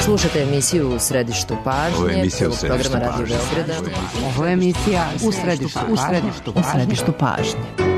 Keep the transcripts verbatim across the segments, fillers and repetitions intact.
Slušate emisiju U središtu pažnje, prvog programa Radio Beograda. Ovo je emisija U središtu, u središtu, u središtu pažnje.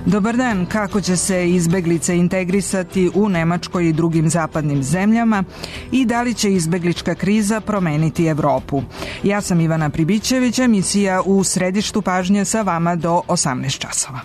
Dobar dan, kako će se izbeglice integrisati u Nemačkoj i drugim zapadnim zemljama i da li će izbeglička kriza promeniti Evropu? Ja sam Ivana Pribićević, emisija U središtu pažnje sa vama do osamnaest časova.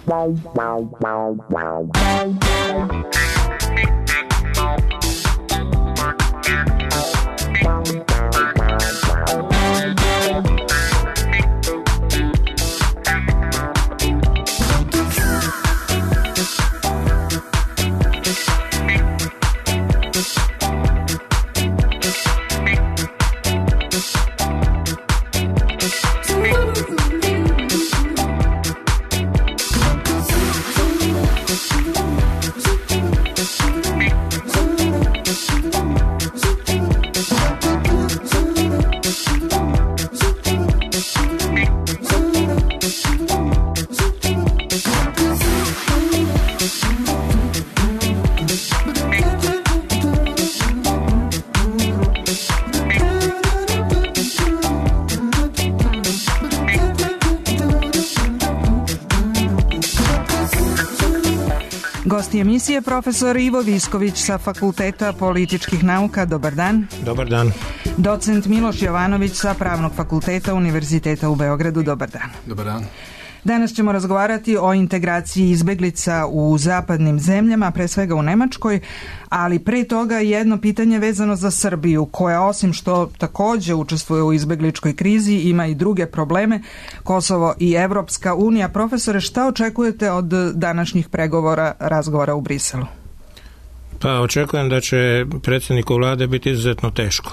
Gosti emisije profesor Ivo Visković sa Fakulteta političkih nauka. Dobar dan. Dobar dan. Docent Miloš Jovanović sa Pravnog fakulteta Univerziteta u Beogradu. Dobar dan. Dobar dan. Danas ćemo razgovarati o integraciji izbeglica u zapadnim zemljama, pre svega u Nemačkoj, ali pre toga jedno pitanje vezano za Srbiju, koja osim što takođe učestvuje u izbegličkoj krizi, ima i druge probleme, Kosovo i Evropska unija. Profesore, šta očekujete od današnjih pregovora, razgovora u Briselu? Pa očekujem da će predsjedniku vlade biti izuzetno teško.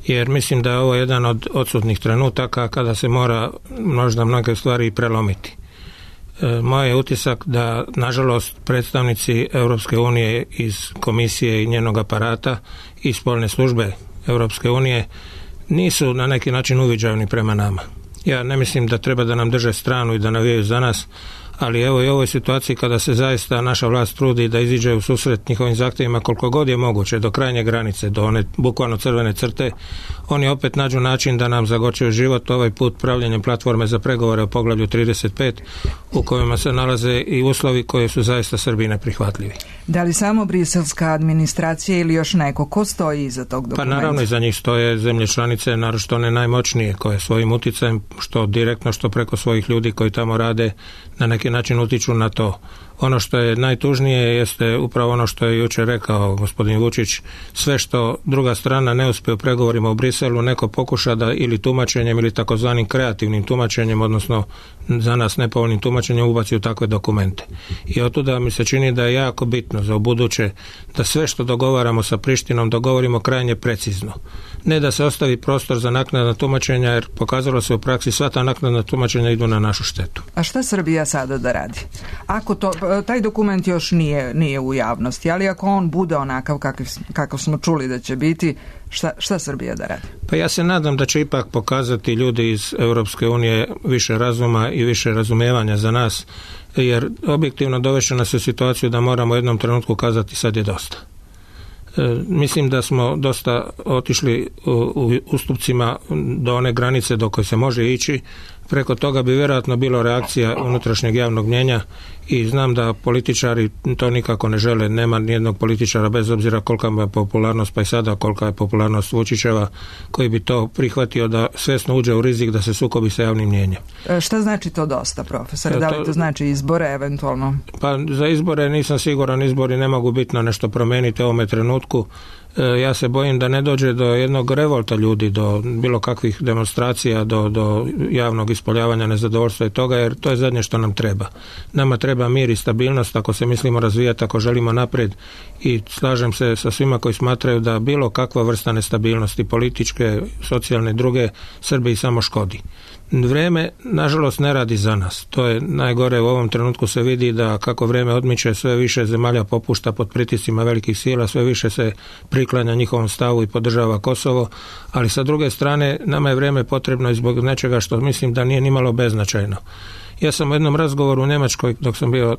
Jer mislim da je ovo jedan od odsutnih trenutaka kada se mora možda mnoge stvari prelomiti. E, moj je utisak da, nažalost, predstavnici Europske unije iz komisije i njenog aparata i spoljne službe Europske unije nisu na neki način uviđavni prema nama. Ja ne mislim da treba da nam drže stranu i da navijaju za nas, ali evo i u ovoj situaciji kada se zaista naša vlast trudi da iziđe u susret njihovim zahtjevima koliko god je moguće, do krajnje granice, do one bukvalno crvene crte, oni opet nađu način da nam zagorčaju život, ovaj put pravljenjem platforme za pregovore o poglavlju trideset pet, u kojima se nalaze i uslovi koji su zaista Srbiji neprihvatljivi. Da li samo briselska administracija ili još neko? Ko stoji iza tog dokumenta? Pa naravno iza njih stoje zemlje članice, naročito one najmoćnije, koje svojim uticajem, što direktno, što preko svojih ljudi koji tamo rade, na neki način utiču na to. Ono što je najtužnije jeste upravo ono što je jučer rekao gospodin Vučić, sve što druga strana ne uspije u pregovorima u Briselu, neko pokuša da ili tumačenjem ili takozvanim kreativnim tumačenjem, odnosno za nas nepovoljnim tumačenjem, ubaci u takve dokumente. I otuda mi se čini da je jako bitno za ubuduće da sve što dogovaramo sa Prištinom dogovorimo krajnje precizno. Ne da se ostavi prostor za naknadna tumačenja, jer pokazalo se u praksi sva ta naknadna tumačenja idu na našu štetu. A šta Srbija sada da radi? Ako to, taj dokument još nije, nije u javnosti, ali ako on bude onakav kakav, kakav smo čuli da će biti, šta, šta Srbija da radi? Pa ja se nadam da će ipak pokazati ljudi iz Europske unije više razuma i više razumijevanja za nas, jer objektivno dovešće nas u situaciju da moramo u jednom trenutku kazati sad je dosta. E, mislim da smo dosta otišli u, u ustupcima do one granice do koje se može ići. Preko toga bi vjerojatno bilo reakcija unutrašnjeg javnog mnjenja i znam da političari to nikako ne žele. Nema nijednog političara, bez obzira kolika je popularnost, pa i sada kolika je popularnost Vučićeva, koji bi to prihvatio da svjesno uđe u rizik da se sukobi sa javnim mnjenjem. E, šta znači to dosta, profesor? Da li to znači izbore eventualno? Pa za izbore nisam siguran, izbori ne mogu bitno nešto promijeniti u ovome trenutku. ja se bojim da ne dođe do jednog revolta ljudi, do bilo kakvih demonstracija, do, do javnog ispoljavanja nezadovoljstva i toga, jer to je zadnje što nam treba. Nama treba mir i stabilnost ako se mislimo razvijati, ako želimo naprijed, i slažem se sa svima koji smatraju da bilo kakva vrsta nestabilnosti, političke, socijalne, druge, Srbiji samo škodi. Vrijeme, nažalost, ne radi za nas. To je najgore. U ovom trenutku se vidi da kako vrijeme odmiče, sve više zemalja popušta pod pritiscima velikih sila, sve više se priklanja njihovom stavu i podržava Kosovo, ali sa druge strane nama je vrijeme potrebno i zbog nečega što mislim da nije nimalo beznačajno. Ja sam u jednom razgovoru u Njemačkoj, dok sam bio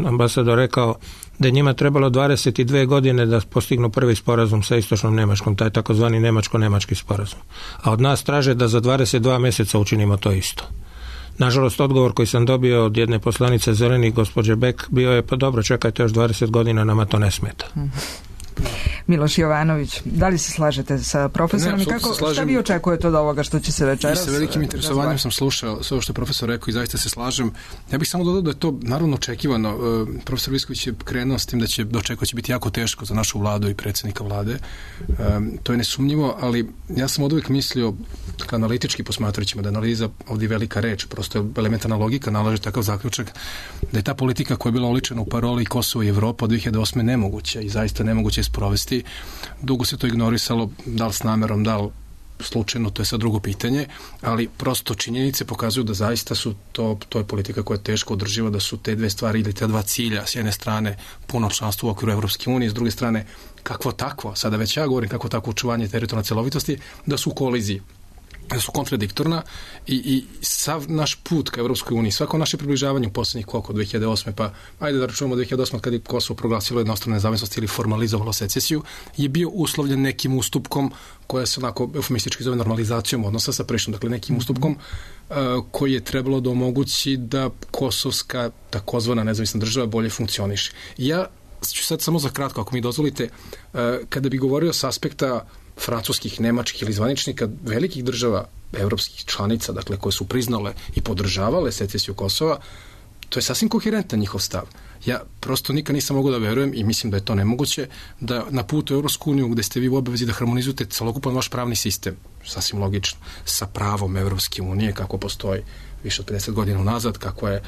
ambasador, rekao da je njima trebalo dvadeset dvije godine da postignu prvi sporazum sa istočnom Njemačkom, taj takozvani njemačko-njemački sporazum. A od nas traže da za dvadeset dva mjeseca učinimo to isto. Nažalost, odgovor koji sam dobio od jedne poslanice Zelenih, gospođe Beck, bio je: pa dobro, čekajte još dvadeset godina, nama to ne smeta. Miloš Jovanović, da li se slažete sa profesorom ne, i kako, šta vi očekujete od ovoga što će se večeras? I sa velikim interesovanjem sam slušao sve ovo što je profesor rekao i zaista se slažem. Ja bih samo dodao da je to naravno očekivano. Uh, profesor Visković je krenuo s tim da će dočekao će biti jako teško za našu vladu i predsjednika vlade. Um, to je nesumnjivo, ali ja sam od uvijek mislio, analitički posmatrajući, da analiza ovdje velika reč, prosto je elementarna logika nalaže takav zaključak da je ta politika koja je bila oličena u paroli Kosovo i Evropa od dvije hiljade osme nemoguća i zaista nemoguće je sprovesti. Dugo se to ignorisalo, da li s namerom, da li slučajno, to je sad drugo pitanje, ali prosto činjenice pokazuju da zaista su to, to je politika koja je teško održiva, da su te dve stvari ili te dva cilja, s jedne strane puno članstvo u okviru Evropske unije, s druge strane kakvo takvo, sada već ja govorim kakvo takvo očuvanje teritorijalne celovitosti, da su u koliziji, da su kontradiktorna i, i sav naš put ka Evropskoj uniji, svako naše približavanje u posljednjih koliko, dvije hiljade osme, pa ajde da računamo dvije hiljade osme kad je Kosovo proglasilo jednostranu nezavisnost ili formalizovalo secesiju, je bio uslovljen nekim ustupkom koja se onako eufemistički zove normalizacijom odnosa sa Prištinom, dakle nekim ustupkom uh, koji je trebalo da omogući da kosovska takozvana nezavisna država bolje funkcioniše. Ja ću sad samo za kratko, ako mi dozvolite, uh, kada bi govorio s aspekta francuskih, nemačkih ili zvaničnika velikih država, evropskih članica, dakle, koje su priznale i podržavale secesiju Kosova, to je sasvim koherentan njihov stav. Ja prosto nikad nisam mogao da verujem i mislim da je to nemoguće da na putu u Evropsku uniju gde ste vi u obavezi da harmonizujete celokupan vaš pravni sistem, sasvim logično, sa pravom Evropske unije kako postoji više od pedeset godina unazad, kako je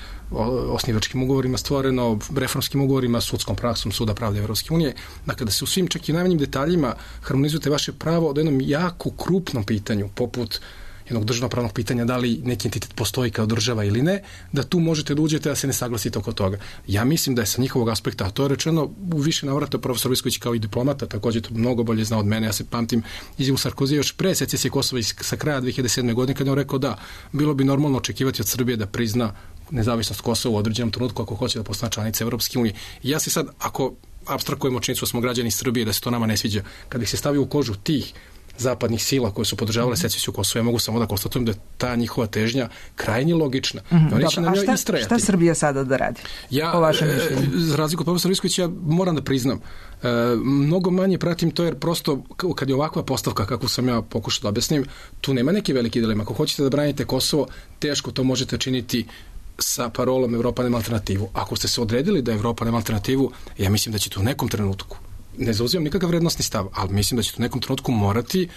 osnivačkim ugovorima stvoreno, reformskim ugovorima, sudskom praksom Suda pravde Evropske unije. Dakle, da se u svim čak i najmanjim detaljima harmonizujete vaše pravo od jednom jako krupnom pitanju, poput jednog državnopravnog pitanja da li neki entitet postoji kao država ili ne, da tu možete da uđete da se ne saglasite oko toga. Ja mislim da je sa njihovog aspekta, a to je rečeno u više navrata, profesor Visković kao i diplomata, također to mnogo bolje zna od mene. Ja se pamtim izjavu Sarkozija još pre secesije Kosova sa kraja dvije hiljade sedme godine, kad je on rekao da bilo bi normalno očekivati od Srbije da prizna nezavisnost Kosova u određenom trenutku ako hoće da postane članica Evropske unije. I ja se sad, ako apstrakujemo činjenicu da smo građani Srbije, da se to nama ne sviđa, kad ih se stavi u kožu tih zapadnih sila koje su podržavale secesiju Kosova, ja mogu samo da konstatujem da je ta njihova težnja krajnje logična. Mm-hmm. Dobro, a šta, šta Srbija sada da radi? Ja, po vašem mišljenju? Za razliku od profesora Viskovića, ja moram da priznam, e, mnogo manje pratim to, jer prosto kad je ovakva postavka, kako sam ja pokušao da objasnim, tu nema neke velike dilema. Ako hoćete da branite Kosovo, teško to možete činiti sa parolom Evropa nema alternativu. Ako ste se odredili da Evropa nema alternativu, ja mislim da ćete u nekom trenutku, ne zauzimam nikakav vrednostni stav, ali mislim da ćete u nekom trenutku morati,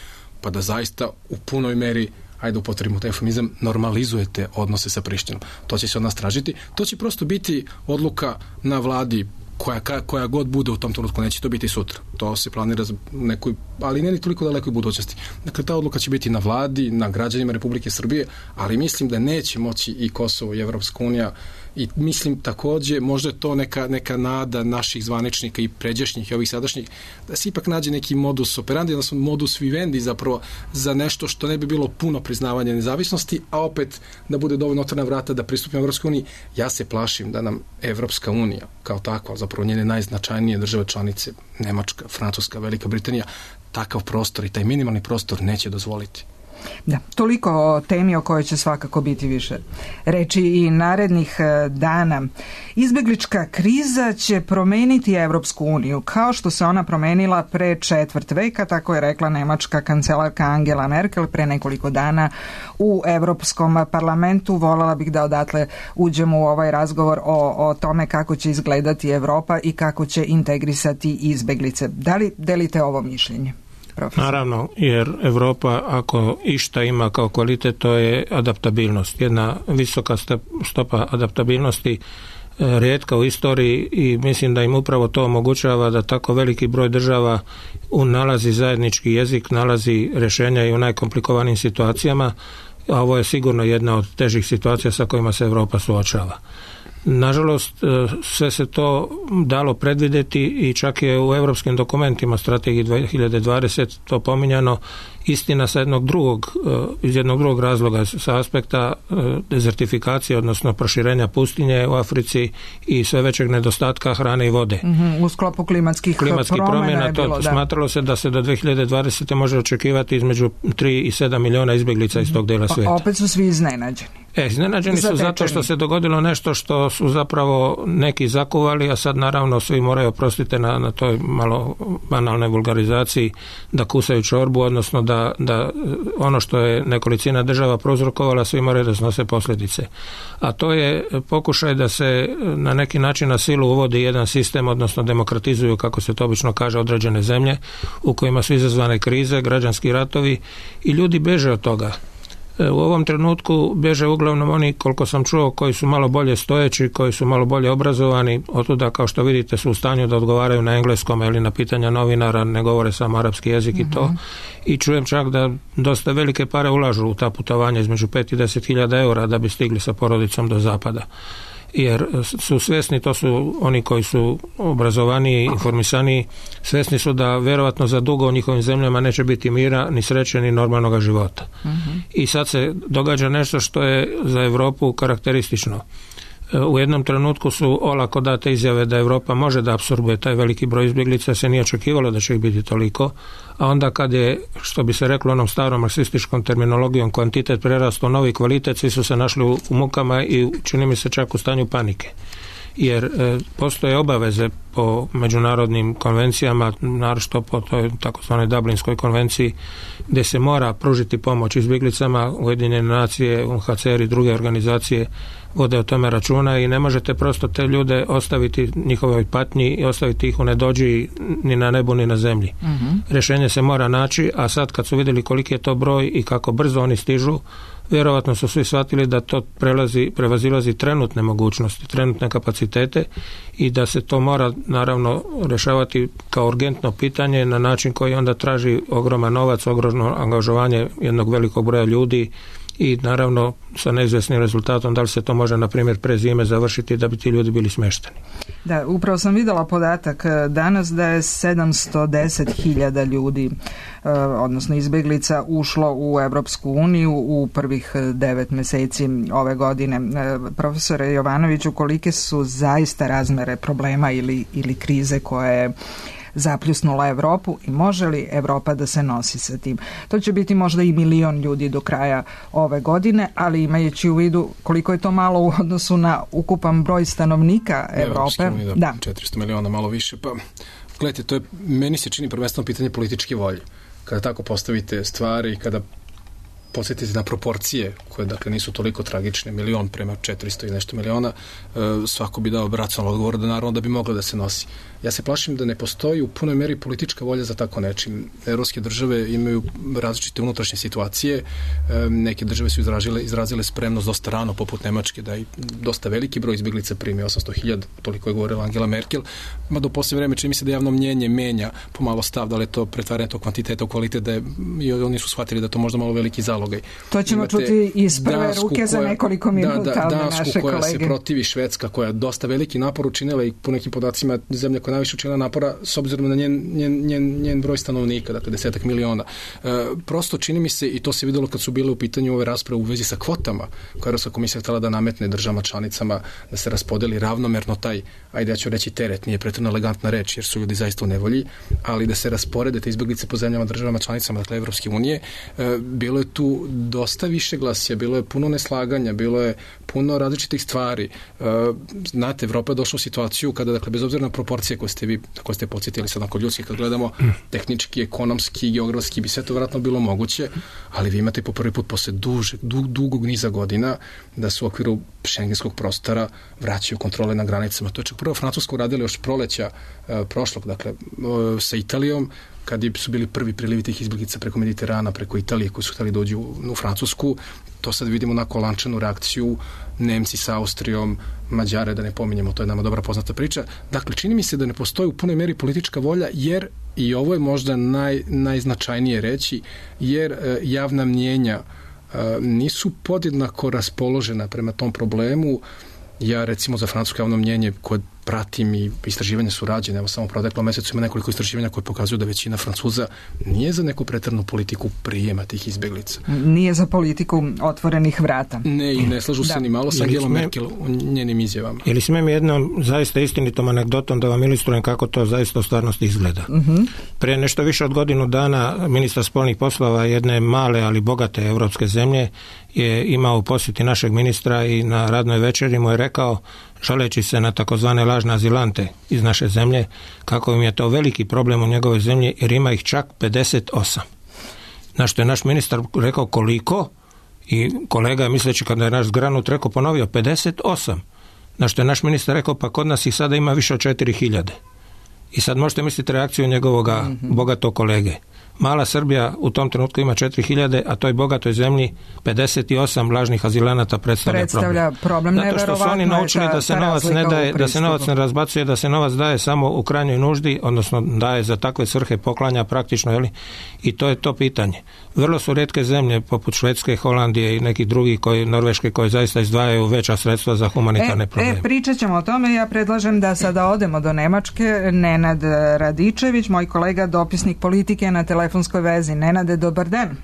pa da zaista u punoj meri, ajde upotrebimo taj eufemizam, normalizujete odnose sa Prištinom. To će se od nas tražiti. To će prosto biti odluka na vladi koja, koja god bude u tom trenutku, neće to biti sutra. To se planira za nekoj, ali ne ni toliko dalekoj budućnosti. Dakle, ta odluka će biti na vladi, na građanima Republike Srbije, ali mislim da neće moći i Kosovo i Evropska unija. I mislim također, možda je to neka, neka nada naših zvaničnika i pređašnjih i ovih sadašnjih, da se ipak nađe neki modus operandi, odnosno modus vivendi zapravo za nešto što ne bi bilo puno priznavanja nezavisnosti, a opet da bude dovoljno otvorena vrata da pristupimo Evropskoj uniji. Ja se plašim da nam Evropska unija kao takva, zapravo njene najznačajnije države članice, Nemačka, Francuska, Velika Britanija, takav prostor i taj minimalni prostor neće dozvoliti. Da, toliko o temi o kojoj će svakako biti više reči i narednih dana. Izbeglička kriza će promeniti Evropsku uniju, kao što se ona promenila pre četvrt veka, tako je rekla nemačka kancelarka Angela Merkel pre nekoliko dana u Evropskom parlamentu. Voljela bih da odatle uđemo u ovaj razgovor o, o tome kako će izgledati Evropa i kako će integrisati izbeglice. Da li delite ovo mišljenje? Profesor. Naravno, jer Evropa ako išta ima kao kvalitet, to je adaptabilnost. Jedna visoka stopa adaptabilnosti, rijetka u istoriji, i mislim da im upravo to omogućava da tako veliki broj država nalazi zajednički jezik, nalazi rješenja i u najkomplikovanijim situacijama, a ovo je sigurno jedna od težih situacija sa kojima se Evropa suočava. Nažalost, sve se to dalo predvidjeti i čak je u europskim dokumentima strategiji dvije hiljade dvadeset to pominjano, istina sa jednog drugog, iz jednog drugog razloga, sa aspekta dezertifikacije, odnosno proširenja pustinje u Africi i sve većeg nedostatka hrane i vode. Mm-hmm, u sklopu klimatskih, klimatskih promjena, promjena je bilo, to, smatralo se da se do dvije hiljade dvadesete može očekivati između tri i sedam miliona izbjeglica iz tog dela svijeta. Opet su svi iznenađeni. E, iznenađeni su zato što se dogodilo nešto što su zapravo neki zakuvali, a sad naravno svi moraju, oprostite na, na toj malo banalnoj vulgarizaciji, da kusaju čorbu, odnosno da, da ono što je nekolicina država prouzrokovala, svi moraju da snose posljedice. A to je pokušaj da se na neki način na silu uvodi jedan sistem, odnosno demokratizuju, kako se to obično kaže, određene zemlje u kojima su izazvane krize, građanski ratovi i ljudi beže od toga. U ovom trenutku bježe uglavnom oni, koliko sam čuo, koji su malo bolje stojeći, koji su malo bolje obrazovani, otuda kao što vidite su u stanju da odgovaraju na engleskom ili na pitanja novinara, ne govore samo arapski jezik i to. I čujem čak da dosta velike pare ulažu u ta putovanja, između pet i deset hiljada eura da bi stigli sa porodicom do zapada. Jer su svjesni, to su oni koji su obrazovaniji, informisaniji, svjesni su da vjerovatno za dugo u njihovim zemljama neće biti mira, ni sreće, ni normalnog života. Uh-huh. I sad se događa nešto što je za Europu karakteristično. U jednom trenutku su olako date izjave da Europa može da apsorbuje taj veliki broj izbjeglica, se nije očekivalo da će ih biti toliko, a onda kad je, što bi se reklo onom starom marksističkom terminologijom, kvantitet prerastao novi kvalitet, svi su se našli u, u mukama i čini mi se čak u stanju panike. Jer e, postoje obaveze po međunarodnim konvencijama, naročito po toj takozvanoj Dublinskoj konvenciji, gdje se mora pružiti pomoć izbjeglicama. Ujedinjene nacije, U N H C R i druge organizacije vode o tome računa i ne možete prosto te ljude ostaviti njihovoj patnji i ostaviti ih u nedođi ni na nebu ni na zemlji. Mm-hmm. Rješenje se mora naći, a sad kad su vidjeli koliki je to broj i kako brzo oni stižu, vjerovatno su svi shvatili da to prelazi, prevazilazi trenutne mogućnosti, trenutne kapacitete i da se to mora naravno rješavati kao urgentno pitanje na način koji onda traži ogroman novac, ogromno angažovanje jednog velikog broja ljudi i naravno sa neizvjesnim rezultatom da li se to može na primjer pre zime završiti da bi ti ljudi bili smješteni. Da, upravo sam vidjela podatak danas da je sedamsto deset hiljada ljudi, odnosno izbjeglica, ušlo u Evropsku uniju u prvih devet mjeseci ove godine. Profesore Jovanoviću, kolike su zaista razmere problema ili, ili krize koje je zapljusnula Europu i može li Europa da se nosi sa tim? To će biti možda i milion ljudi do kraja ove godine, ali imajući u vidu koliko je to malo u odnosu na ukupan broj stanovnika Europe. Da, da. četiristo miliona, malo više. Pa, gledajte, to je, meni se čini prvenstveno pitanje političke volje. Kada tako postavite stvari, kada posjetite na proporcije koje dakle nisu toliko tragične, milion prema četiristo i nešto miliona, svako bi dao racionalan odgovor da naravno da bi moglo da se nosi. Ja se plašim da ne postoji u punoj meri politička volja za tako nečim. Evropske države imaju različite unutrašnje situacije. Neke države su izrazile, izrazile spremnost dosta rano, poput Nemačke, da i dosta veliki broj izbjeglica primi, osamsto hiljada, toliko je govorila Angela Merkel. Ma do poslije vreme čini mi se da javno mnjenje menja pomalo stav, da li je to pretvaranje tog kvantiteta u kvalitet, da je, i oni su shvatili da to možda malo veliki zalogaj. To ćemo Imate čuti iz prve Dansku, ruke koja, za nekoliko minuta da, da, od Dansku, naše koja kolege. se protivi, Švedska koja je dosta veliki napor učinila i po nekim podacima zemlja koja najviše učinila napora s obzirom na njen, njen, njen, njen broj stanovnika, dakle desetak miliona. E, prosto čini mi se, i to se vidjelo kad su bile u pitanju ove rasprave u vezi sa kvotama, koja je Europska komisija htjela da nametne državama članicama, da se raspodeli ravnomerno taj, ajde ja ću reći teret, nije pretredno elegantna reč jer su ljudi zaista u nevolji, ali da se rasporede te izbjeglice po zemljama državama članicama, dakle Evropske unije. E, bilo je tu tu dosta više glasija, bilo je puno neslaganja, bilo je puno različitih stvari. Znate, Evropa je došla u situaciju kada, dakle, bez obzira na proporcije koje ste vi, koje ste podsjetili sad oko ljudskih, kad gledamo tehnički, ekonomski, geografski, bi sve to vjerojatno bilo moguće, ali vi imate po prvi put posle duže, dug, dugog niza godina da su u okviru šengenskog prostora vraćaju kontrole na granicama. To je čak prvo Francusko uradili još proleća e, prošlog, dakle, e, sa Italijom, kad su bili prvi prilivi tih izbjeglica preko Mediterana, preko Italije, koji su htjeli dođu u, u Francusku. To sad vidimo na lančanu reakciju, Nemci sa Austrijom, Mađare, da ne pominjemo, to je nama dobra poznata priča. Dakle, čini mi se da ne postoji u punoj meri politička volja, jer, i ovo je možda naj, najznačajnije reći, jer e, javna mnjenja e, nisu podjednako raspoložena prema tom problemu. Ja, recimo, za francusko javno mnjenje koje pratim i istraživanja su rađene, evo samo u proteklom mesecu ima nekoliko istraživanja koje pokazuju da većina Francuza nije za neku pretjeranu politiku prijema tih izbjeglica. Nije za politiku otvorenih vrata. Ne, i ne slažu se da. Ni malo sa Angelom Merkel u njenim izjavama. Ili smijem jednom zaista istinitom anegdotom da vam ilustrujem kako to zaista u stvarnosti izgleda. Uh-huh. Prije nešto više od godinu dana ministar spoljnih poslova jedne male, ali bogate evropske zemlje je imao u posjeti našeg ministra i na radnoj večeri mu je rekao, žaleći se na takozvane lažne azilante iz naše zemlje, kako im je to veliki problem u njegovoj zemlji, jer ima ih čak pedeset osam. Na što je naš ministar rekao koliko, i kolega, misleći kada je naš zgranut, rekao, ponovio pedeset osam. Na što je naš ministar rekao, pa kod nas ih sada ima više od četiri hiljade. I sad možete misliti reakciju njegovoga mm-hmm. bogatog kolege. Mala Srbija u tom trenutku ima četiri hiljade, a toj bogatoj zemlji pedeset osam lažnih azilanata predstavlja, predstavlja problem. problem. Zato što su oni naučili ta, da se novac ne daje, da se novac ne razbacuje, da se novac daje samo u krajnjoj nuždi, odnosno daje za takve svrhe, poklanja praktično, jeli? I to je to pitanje. Vrlo su rijetke zemlje poput Švedske, Holandije i nekih drugih, koji, Norveške, koji zaista izdvajaju veća sredstva za humanitarne e, probleme. E, pričat ćemo o tome. Ja predlažem da sada odemo do Nemačke. Nenad Radičević, moj kolega, dopisnik politike na telefonskoj vezi. Nenade, dobar dan.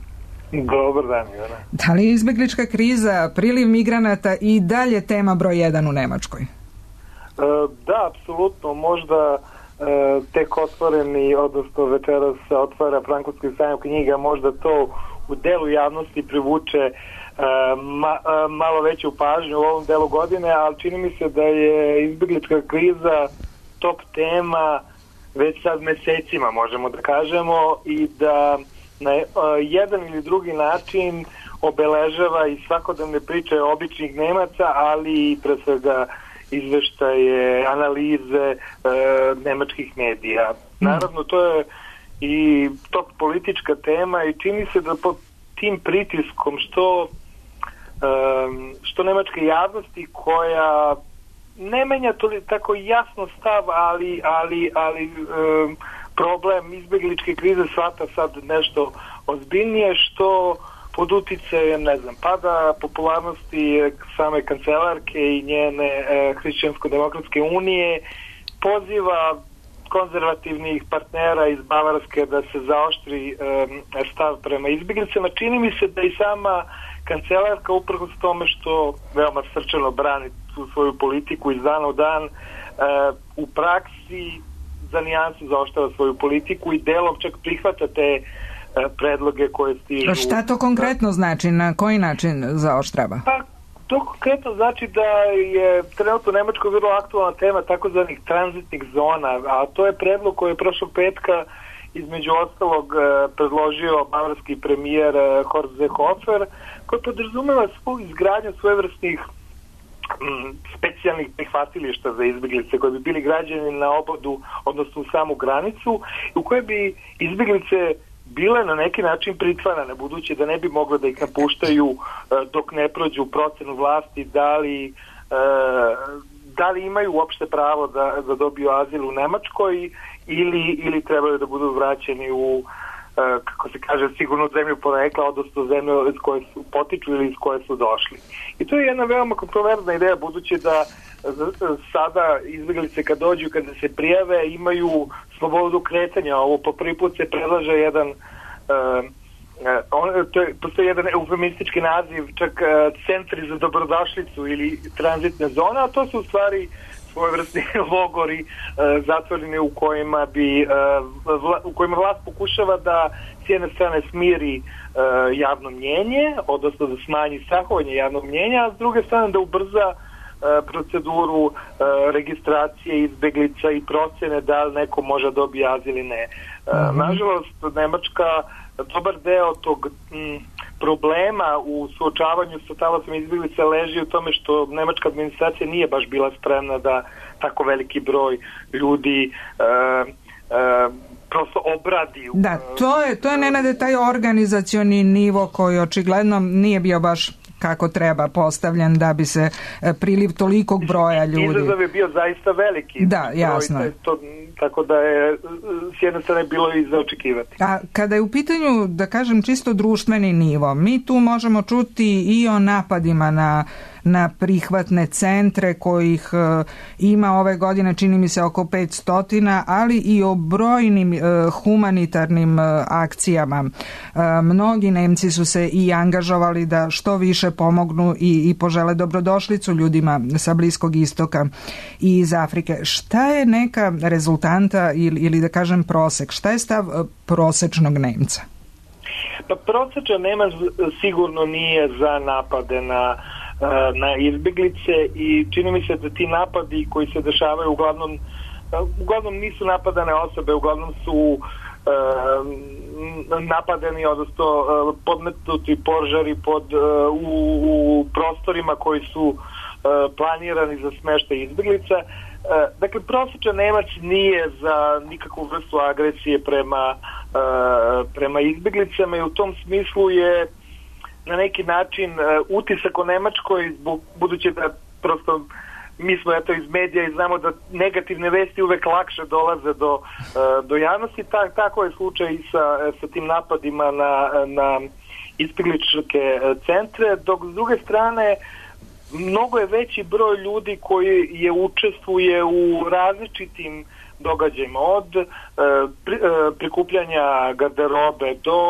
Dobar dan, Ivana. Da li je izbeglička kriza, priliv migranata i dalje tema broj jedan u Nemačkoj? E, da, apsolutno. Možda e, tek otvoreni, odnosno večeras se otvara Frankfurtski sajam knjiga, možda to u delu javnosti privuče e, ma, e, malo veću pažnju u ovom delu godine, ali čini mi se da je izbeglička kriza top tema već sad mesecima, možemo da kažemo, i da na jedan ili drugi način obeležava i svakodnevne priče običnih Nemaca, ali i pre svega izveštaje, analize e, nemačkih medija. Naravno, to je i top politička tema i čini se da pod tim pritiskom što, e, što nemačke javnosti koja ne menja to tako jasno stav, ali, ali, ali e, problem izbegličke krize shvata sad nešto ozbiljnije, što pod uticajem, ne znam, pada popularnosti same kancelarke i njene e, Hrišćansko-demokratske unije, poziva konzervativnih partnera iz Bavarske da se zaoštri e, stav prema izbjeglicama. Čini mi se da i sama kancelarka, uprkos tome što veoma srčano brani tu svoju politiku iz dana u dan, e, u praksi za nijansu zaoštava svoju politiku i delom čak prihvata te predloge koje stižu. Šta to konkretno znači? Na koji način zaoštrava? Pa, to konkretno znači da je trenutno u Nemačkoj vrlo aktualna tema takozvanih tranzitnih zona, a to je predlog koji je prošlog petka između ostalog predložio bavarski premijer Horst Seehofer, koji podrazumeva svu izgradnju svojevrsnih specijalnih prihvatilišta za izbjeglice koji bi bili građani na obodu, odnosno u samu granicu, u koje bi izbjeglice bile na neki način pritvarane, budući da ne bi mogle da ih napuštaju dok ne prođu procenu vlasti, da li, da li imaju uopšte pravo da, da dobiju azil u Nemačkoj ili, ili trebaju da budu vraćeni u, kako se kaže, sigurno zemlju porekla, odnosno zemlju iz koje su potiču ili iz koje su došli. I to je jedna veoma kontroverzna ideja, budući da sada izbjeglice kad dođu, kada se prijave, imaju slobodu kretanja. Ovo po prvi put se predlaže jedan uh, on, to je, postoji jedan eufemistički naziv, čak uh, centri za dobrodošlicu ili tranzitne zone, a to su u stvari svojevrsni logori uh, zatvoreni u kojima bi uh, vla, u kojima vlast pokušava da s jedne strane smiri e, javno mnjenje, odnosno da smanji strahovanje javnog mnjenja, a s druge strane da ubrza proceduru registracije izbeglica i procene da li neko može dobiti azil ili ne. Mm-hmm. Nažalost, Nemačka dobar deo tog m, problema u suočavanju sa talacom izbeglica leži u tome što nemačka administracija nije baš bila spremna da tako veliki broj ljudi e, e, prosto obradi. Da, to je, to je Nenade taj organizacioni nivo koji očigledno nije bio baš kako treba postavljen da bi se priliv tolikog broja ljudi. Izazov je bio zaista veliki. Da, jasno. Broj, to, tako da je s jedne strane bilo i za očekivati. A kada je u pitanju, da kažem, čisto društveni nivo, mi tu možemo čuti i o napadima na na prihvatne centre kojih e, ima ove godine čini mi se oko petsto, ali i o brojnim e, humanitarnim e, akcijama. E, mnogi Nemci su se i angažovali da što više pomognu i, i požele dobrodošlicu ljudima sa Bliskog istoka i iz Afrike. Šta je neka rezultanta ili, ili da kažem prosek? Šta je stav e, prosečnog Nemca? Pa prosečan Nemac sigurno nije za napade na na izbeglice i čini mi se da ti napadi koji se dešavaju uglavnom uglavnom nisu napadane osobe, uglavnom su uh, napadeni, odnosno uh, podmetnuti požari pod, uh, u, u prostorima koji su uh, planirani za smeštaj izbeglica. Uh, dakle, prosječan Nemac nije za nikakvu vrstu agresije prema, uh, prema izbeglicama i u tom smislu je na neki način uh, utisak o Nemačkoj, budući da prosto mi smo eto iz medija i znamo da negativne vesti uvek lakše dolaze do, uh, do javnosti, Ta, tako je slučaj i sa, sa tim napadima na, na izbegličke centre, dok s druge strane mnogo je veći broj ljudi koji je učestvuje u različitim događajima, od uh, pri, uh, prikupljanja garderobe do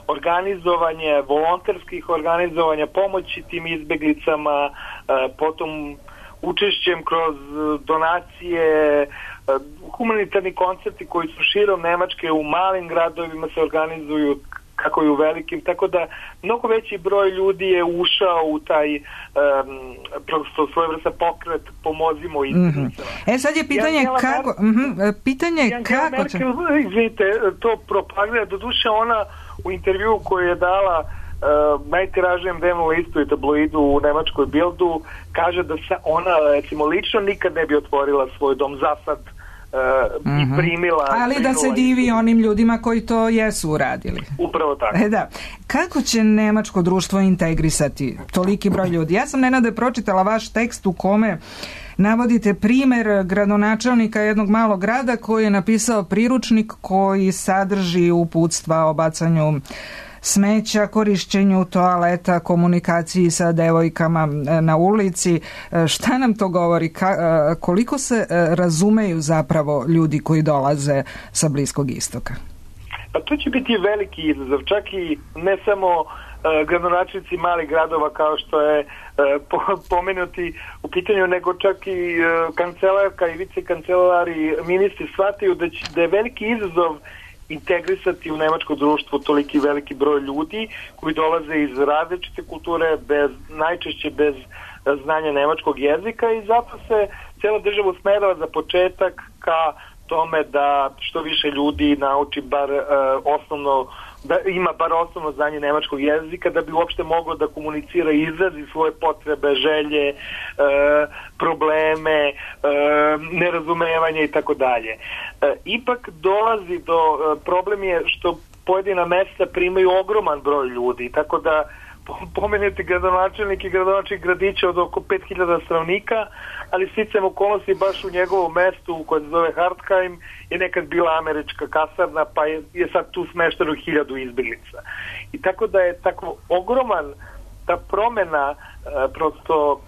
organizovanja, volonterskih organizovanja, pomoći tim izbeglicama, uh, potom učešćem kroz donacije, uh, humanitarni koncerti koji su širom Nemačke u malim gradovima se organizuju kako i u velikim, tako da mnogo veći broj ljudi je ušao u taj um, prosto svojevrstan pokret pomozimo izbeglicama. Mm-hmm. E sad je pitanje Jan kako Mer- mm-hmm. pitanje Jan kako Merkel, će... izvinite, to propagira, doduše ona u intervju koju je dala uh, najtiražijem dnevnom listu i tabloidu u nemačkoj Bildu, kaže da se ona recimo lično nikad ne bi otvorila svoj dom za sad. Uh, mm-hmm. i primila, ali primila da se divi onim ljudima koji to jesu uradili. Upravo tako. E da. Kako će nemačko društvo integrisati toliki broj ljudi? Ja sam Nenade pročitala vaš tekst u kome navodite primjer gradonačelnika jednog malog grada koji je napisao priručnik koji sadrži uputstva o bacanju smeća, korišćenju toaleta, komunikaciji sa devojkama na ulici. Šta nam to govori? Ka, koliko se razumeju zapravo ljudi koji dolaze sa Bliskog istoka? Pa to će biti veliki izazov, čak i ne samo uh, gradonačelnici malih gradova kao što je uh, pomenuti u pitanju, nego čak i uh, kancelarka i vicekancelari, ministri shvataju da, će, da je veliki izazov integrisati u nemačko društvo toliki veliki broj ljudi koji dolaze iz različite kulture, bez, najčešće bez znanja nemačkog jezika, i zato se cijela država usmerava za početak ka tome da što više ljudi nauči bar uh, osnovno, da ima bar osnovno znanje nemačkog jezika da bi uopšte moglo da komunicira i izrazi svoje potrebe, želje, uh, probleme, uh, nerazumevanje i tako dalje. Ipak dolazi do, uh, problem je što pojedina mesta primaju ogroman broj ljudi, tako da pomenuti gradonačelnik i gradonačelnik gradića od oko pet hiljada stanovnika, ali sticam okolnosti baš u njegovom mestu koje se zove Hartheim je nekad bila američka kasarna, pa je, je sad tu smešteno hiljadu izbeglica. I tako da je tako ogroman ta promjena uh, prosto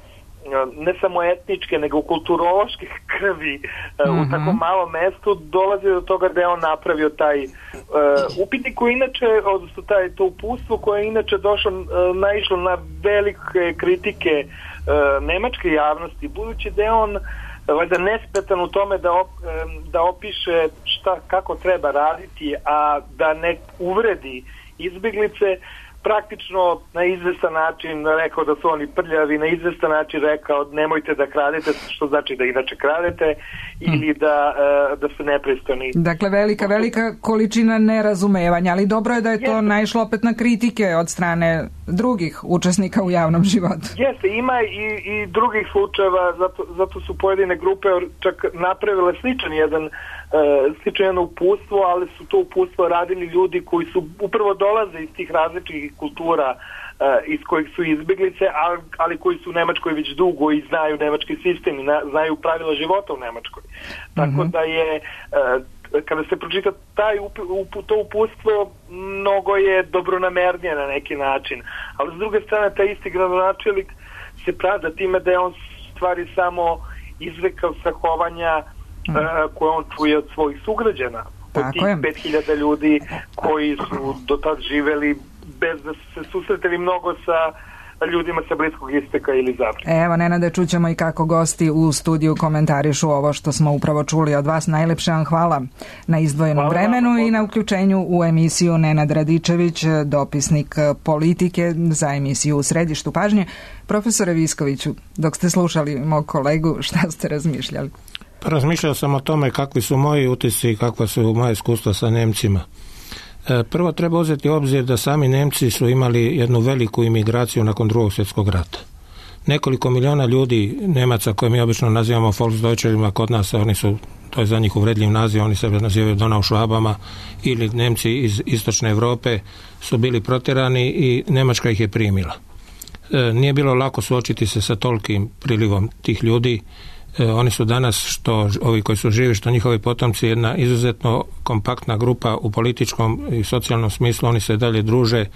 ne samo etničke, nego kulturološke krvi uh, mm-hmm. u tako malom mestu dolazi do toga da je on napravio taj uh, upitnik koji inače, odnosno taj, to uputstvo koje je inače došlo, uh, naišlo na velike kritike uh, nemačke javnosti, budući da je on uh, valjda nespretan u tome da, op, da opiše šta, kako treba raditi, a da ne uvredi izbjeglice, praktično na izvestan način rekao da su oni prljavi, na izvestan način rekao nemojte da kradete, što znači da inače kradete, ili da, da su nepristojni. Dakle, velika, velika količina nerazumevanja, ali dobro je da je to Jeste. naišlo opet na kritike od strane drugih učesnika u javnom životu. Jeste, ima i, i drugih slučajeva, zato, zato su pojedine grupe čak napravile sličan jedan slično jedno upustvo, ali su to upustvo radili ljudi koji su upravo dolaze iz tih različitih kultura iz kojih su izbjeglice, ali koji su u Nemačkoj već dugo i znaju nemački sistem i znaju pravila života u Nemačkoj. Tako mm-hmm. da je, kada se pročita taj up, up, to upustvo, mnogo je dobronamernije na neki način. Ali s druge strane, taj isti gradonačelnik se pravda time da je on stvari samo izrekao strahovanja Mm. koje on čuje od svojih sugrađana, od tih pet hiljada ljudi koji su do tad živeli bez da su se susretili mnogo sa ljudima sa Bliskog isteka ili zapada. Evo, Nenade, čućemo i kako gosti u studiju komentarišu ovo što smo upravo čuli od vas. Najlepše vam hvala na izdvojenom hvala vremenu vam, i na uključenju u emisiju. Nenad Radičević, dopisnik politike za emisiju U središtu pažnje. Profesore Viskoviću, dok ste slušali mog kolegu, šta ste razmišljali? Razmišljao sam o tome kakvi su moji utisci i kakva su moje iskustva sa Nemcima. Prvo treba uzeti u obzir da sami Nemci su imali jednu veliku imigraciju nakon Drugog svjetskog rata. Nekoliko miliona ljudi, Nemaca koje mi obično nazivamo Volksdeutschima, kod nas oni su, to je za njih uvredljiv naziv, oni sebe nazivaju Donaušvabama, ili Nemci iz istočne Europe su bili protjerani i Njemačka ih je primila. Nije bilo lako suočiti se sa tolikim prilivom tih ljudi. Oni su danas, što ovi koji su živi, što njihovi potomci, jedna izuzetno kompaktna grupa u političkom i socijalnom smislu. Oni se dalje druže,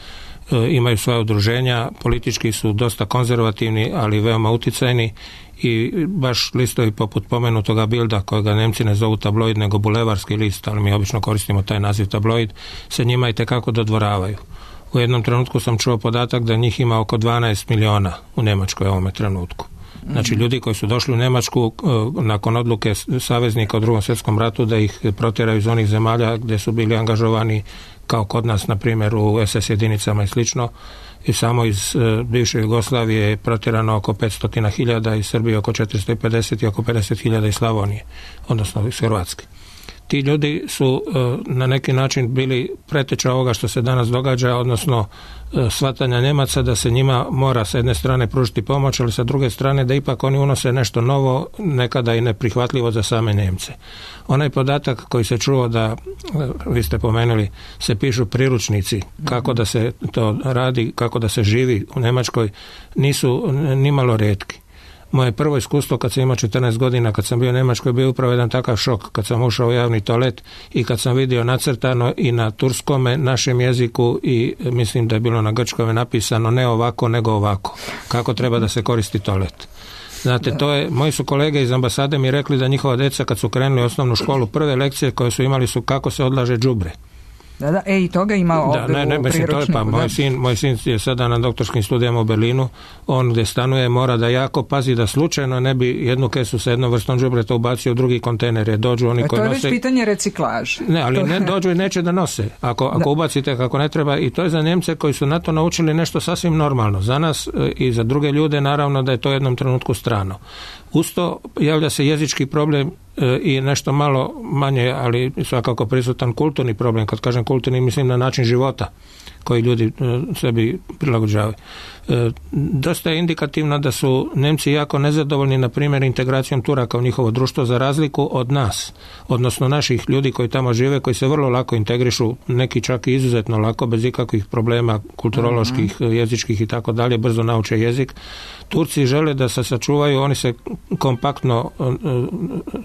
imaju svoje udruženja, politički su dosta konzervativni, ali veoma uticajni, i baš listovi poput pomenutoga Bilda, kojega Nemci ne zovu tabloid nego bulevarski list, ali mi obično koristimo taj naziv tabloid, se njima itekako dodvoravaju. U jednom trenutku sam čuo podatak da njih ima oko dvanaest miliona u Njemačkoj u ovome trenutku. Znači, ljudi koji su došli u Njemačku nakon odluke saveznika u Drugom svjetskom ratu da ih protjeraju iz onih zemalja gdje su bili angažovani, kao kod nas, na primjer, u es es jedinicama i slično, i samo iz bivše Jugoslavije je protjerano oko petsto hiljada, iz Srbije oko četiristo pedeset i oko pedeset hiljada iz Slavonije, odnosno iz Hrvatske. Ti ljudi su na neki način bili preteča ovoga što se danas događa, odnosno shvatanja Nemaca da se njima mora sa jedne strane pružiti pomoć, ali sa druge strane da ipak oni unose nešto novo, nekada i neprihvatljivo za same Nemce. Onaj podatak koji se čuo da, vi ste pomenuli, se pišu priručnici kako da se to radi, kako da se živi u Njemačkoj, nisu nimalo rijetki. Moje prvo iskustvo kad sam imao četrnaest godina, kad sam bio u Njemačkoj, bio upravo jedan takav šok kad sam ušao u javni toalet i kad sam vidio nacrtano i na turskome, našem jeziku, i mislim da je bilo na grčkome napisano ne ovako nego ovako, kako treba da se koristi toalet. Znate, to je, moji su kolege iz ambasade mi rekli da njihova djeca kad su krenuli u osnovnu školu, prve lekcije koje su imali su kako se odlaže đubre. Da, da, e, i toga ima ovdje da, ne, ne, u mislim, to je, pa, moj, sin, moj sin je sada na doktorskim studijama u Berlinu, on gdje stanuje mora da jako pazi da slučajno ne bi jednu kesu sa jednom vrstom đubreta ubacio u drugi kontejner, jer dođu oni e, koji nose... To je već pitanje reciklaže. Ne, ali ne, dođu i neće da nose, ako, ako ubacite kako ne treba, i to je za Njemce koji su na to naučili nešto sasvim normalno. Za nas i za druge ljude naravno da je to u jednom trenutku strano. Usto javlja se jezički problem i nešto malo manje, ali svakako prisutan kulturni problem. Kad kažem kulturni, mislim na način života koji ljudi sebi prilagođavaju. Dosta je indikativno da su Nemci jako nezadovoljni, na primjer, integracijom Turaka u njihovo društvo, za razliku od nas, odnosno naših ljudi koji tamo žive, koji se vrlo lako integrišu, neki čak i izuzetno lako, bez ikakvih problema kulturoloških, uh-huh. jezičkih i tako dalje, brzo nauče jezik. Turci žele da se sačuvaju, oni se kompaktno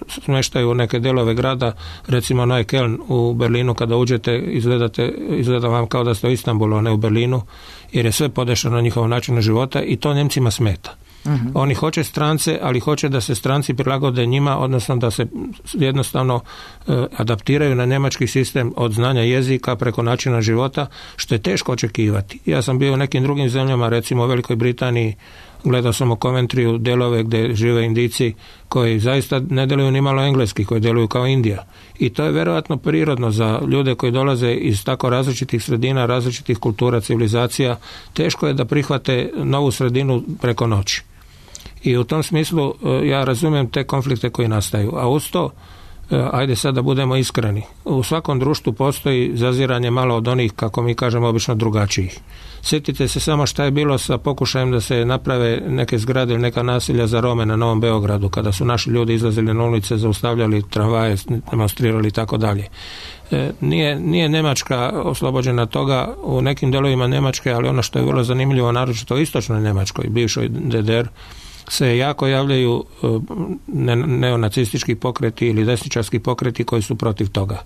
smještaju u neke delove grada, recimo Neue Köln u Berlinu, kada uđete, izgledate, izgleda vam kao da ste u Istanbulu, a ne u Berlinu, jer je sve podešano na njihov način života i to Njemcima smeta. Uh-huh. Oni hoće strance, ali hoće da se stranci prilagode njima, odnosno da se jednostavno e, adaptiraju na njemački sistem od znanja jezika preko načina života, što je teško očekivati. Ja sam bio u nekim drugim zemljama, recimo u Velikoj Britaniji, gledao sam u Coventryju delove gdje žive Indijci koji zaista ne deluju ni malo engleski, koji deluju kao Indija. I to je vjerojatno prirodno za ljude koji dolaze iz tako različitih sredina, različitih kultura, civilizacija. Teško je da prihvate novu sredinu preko noći. I u tom smislu ja razumijem te konflikte koji nastaju. A uz to, ajde sad da budemo iskreni, u svakom društvu postoji zaziranje malo od onih, kako mi kažemo, obično drugačijih. Sjetite se samo šta je bilo sa pokušajem da se naprave neke zgrade ili neka nasilja za Rome na Novom Beogradu, kada su naši ljudi izlazili na ulice, zaustavljali tramvaje, demonstrirali i tako dalje. Nije, nije Njemačka oslobođena toga, u nekim delovima Njemačke, ali ono što je vrlo zanimljivo, naročito u istočnoj Njemačkoj, bivšoj D D R, se jako javljaju ne, neonacistički pokreti ili desničarski pokreti koji su protiv toga.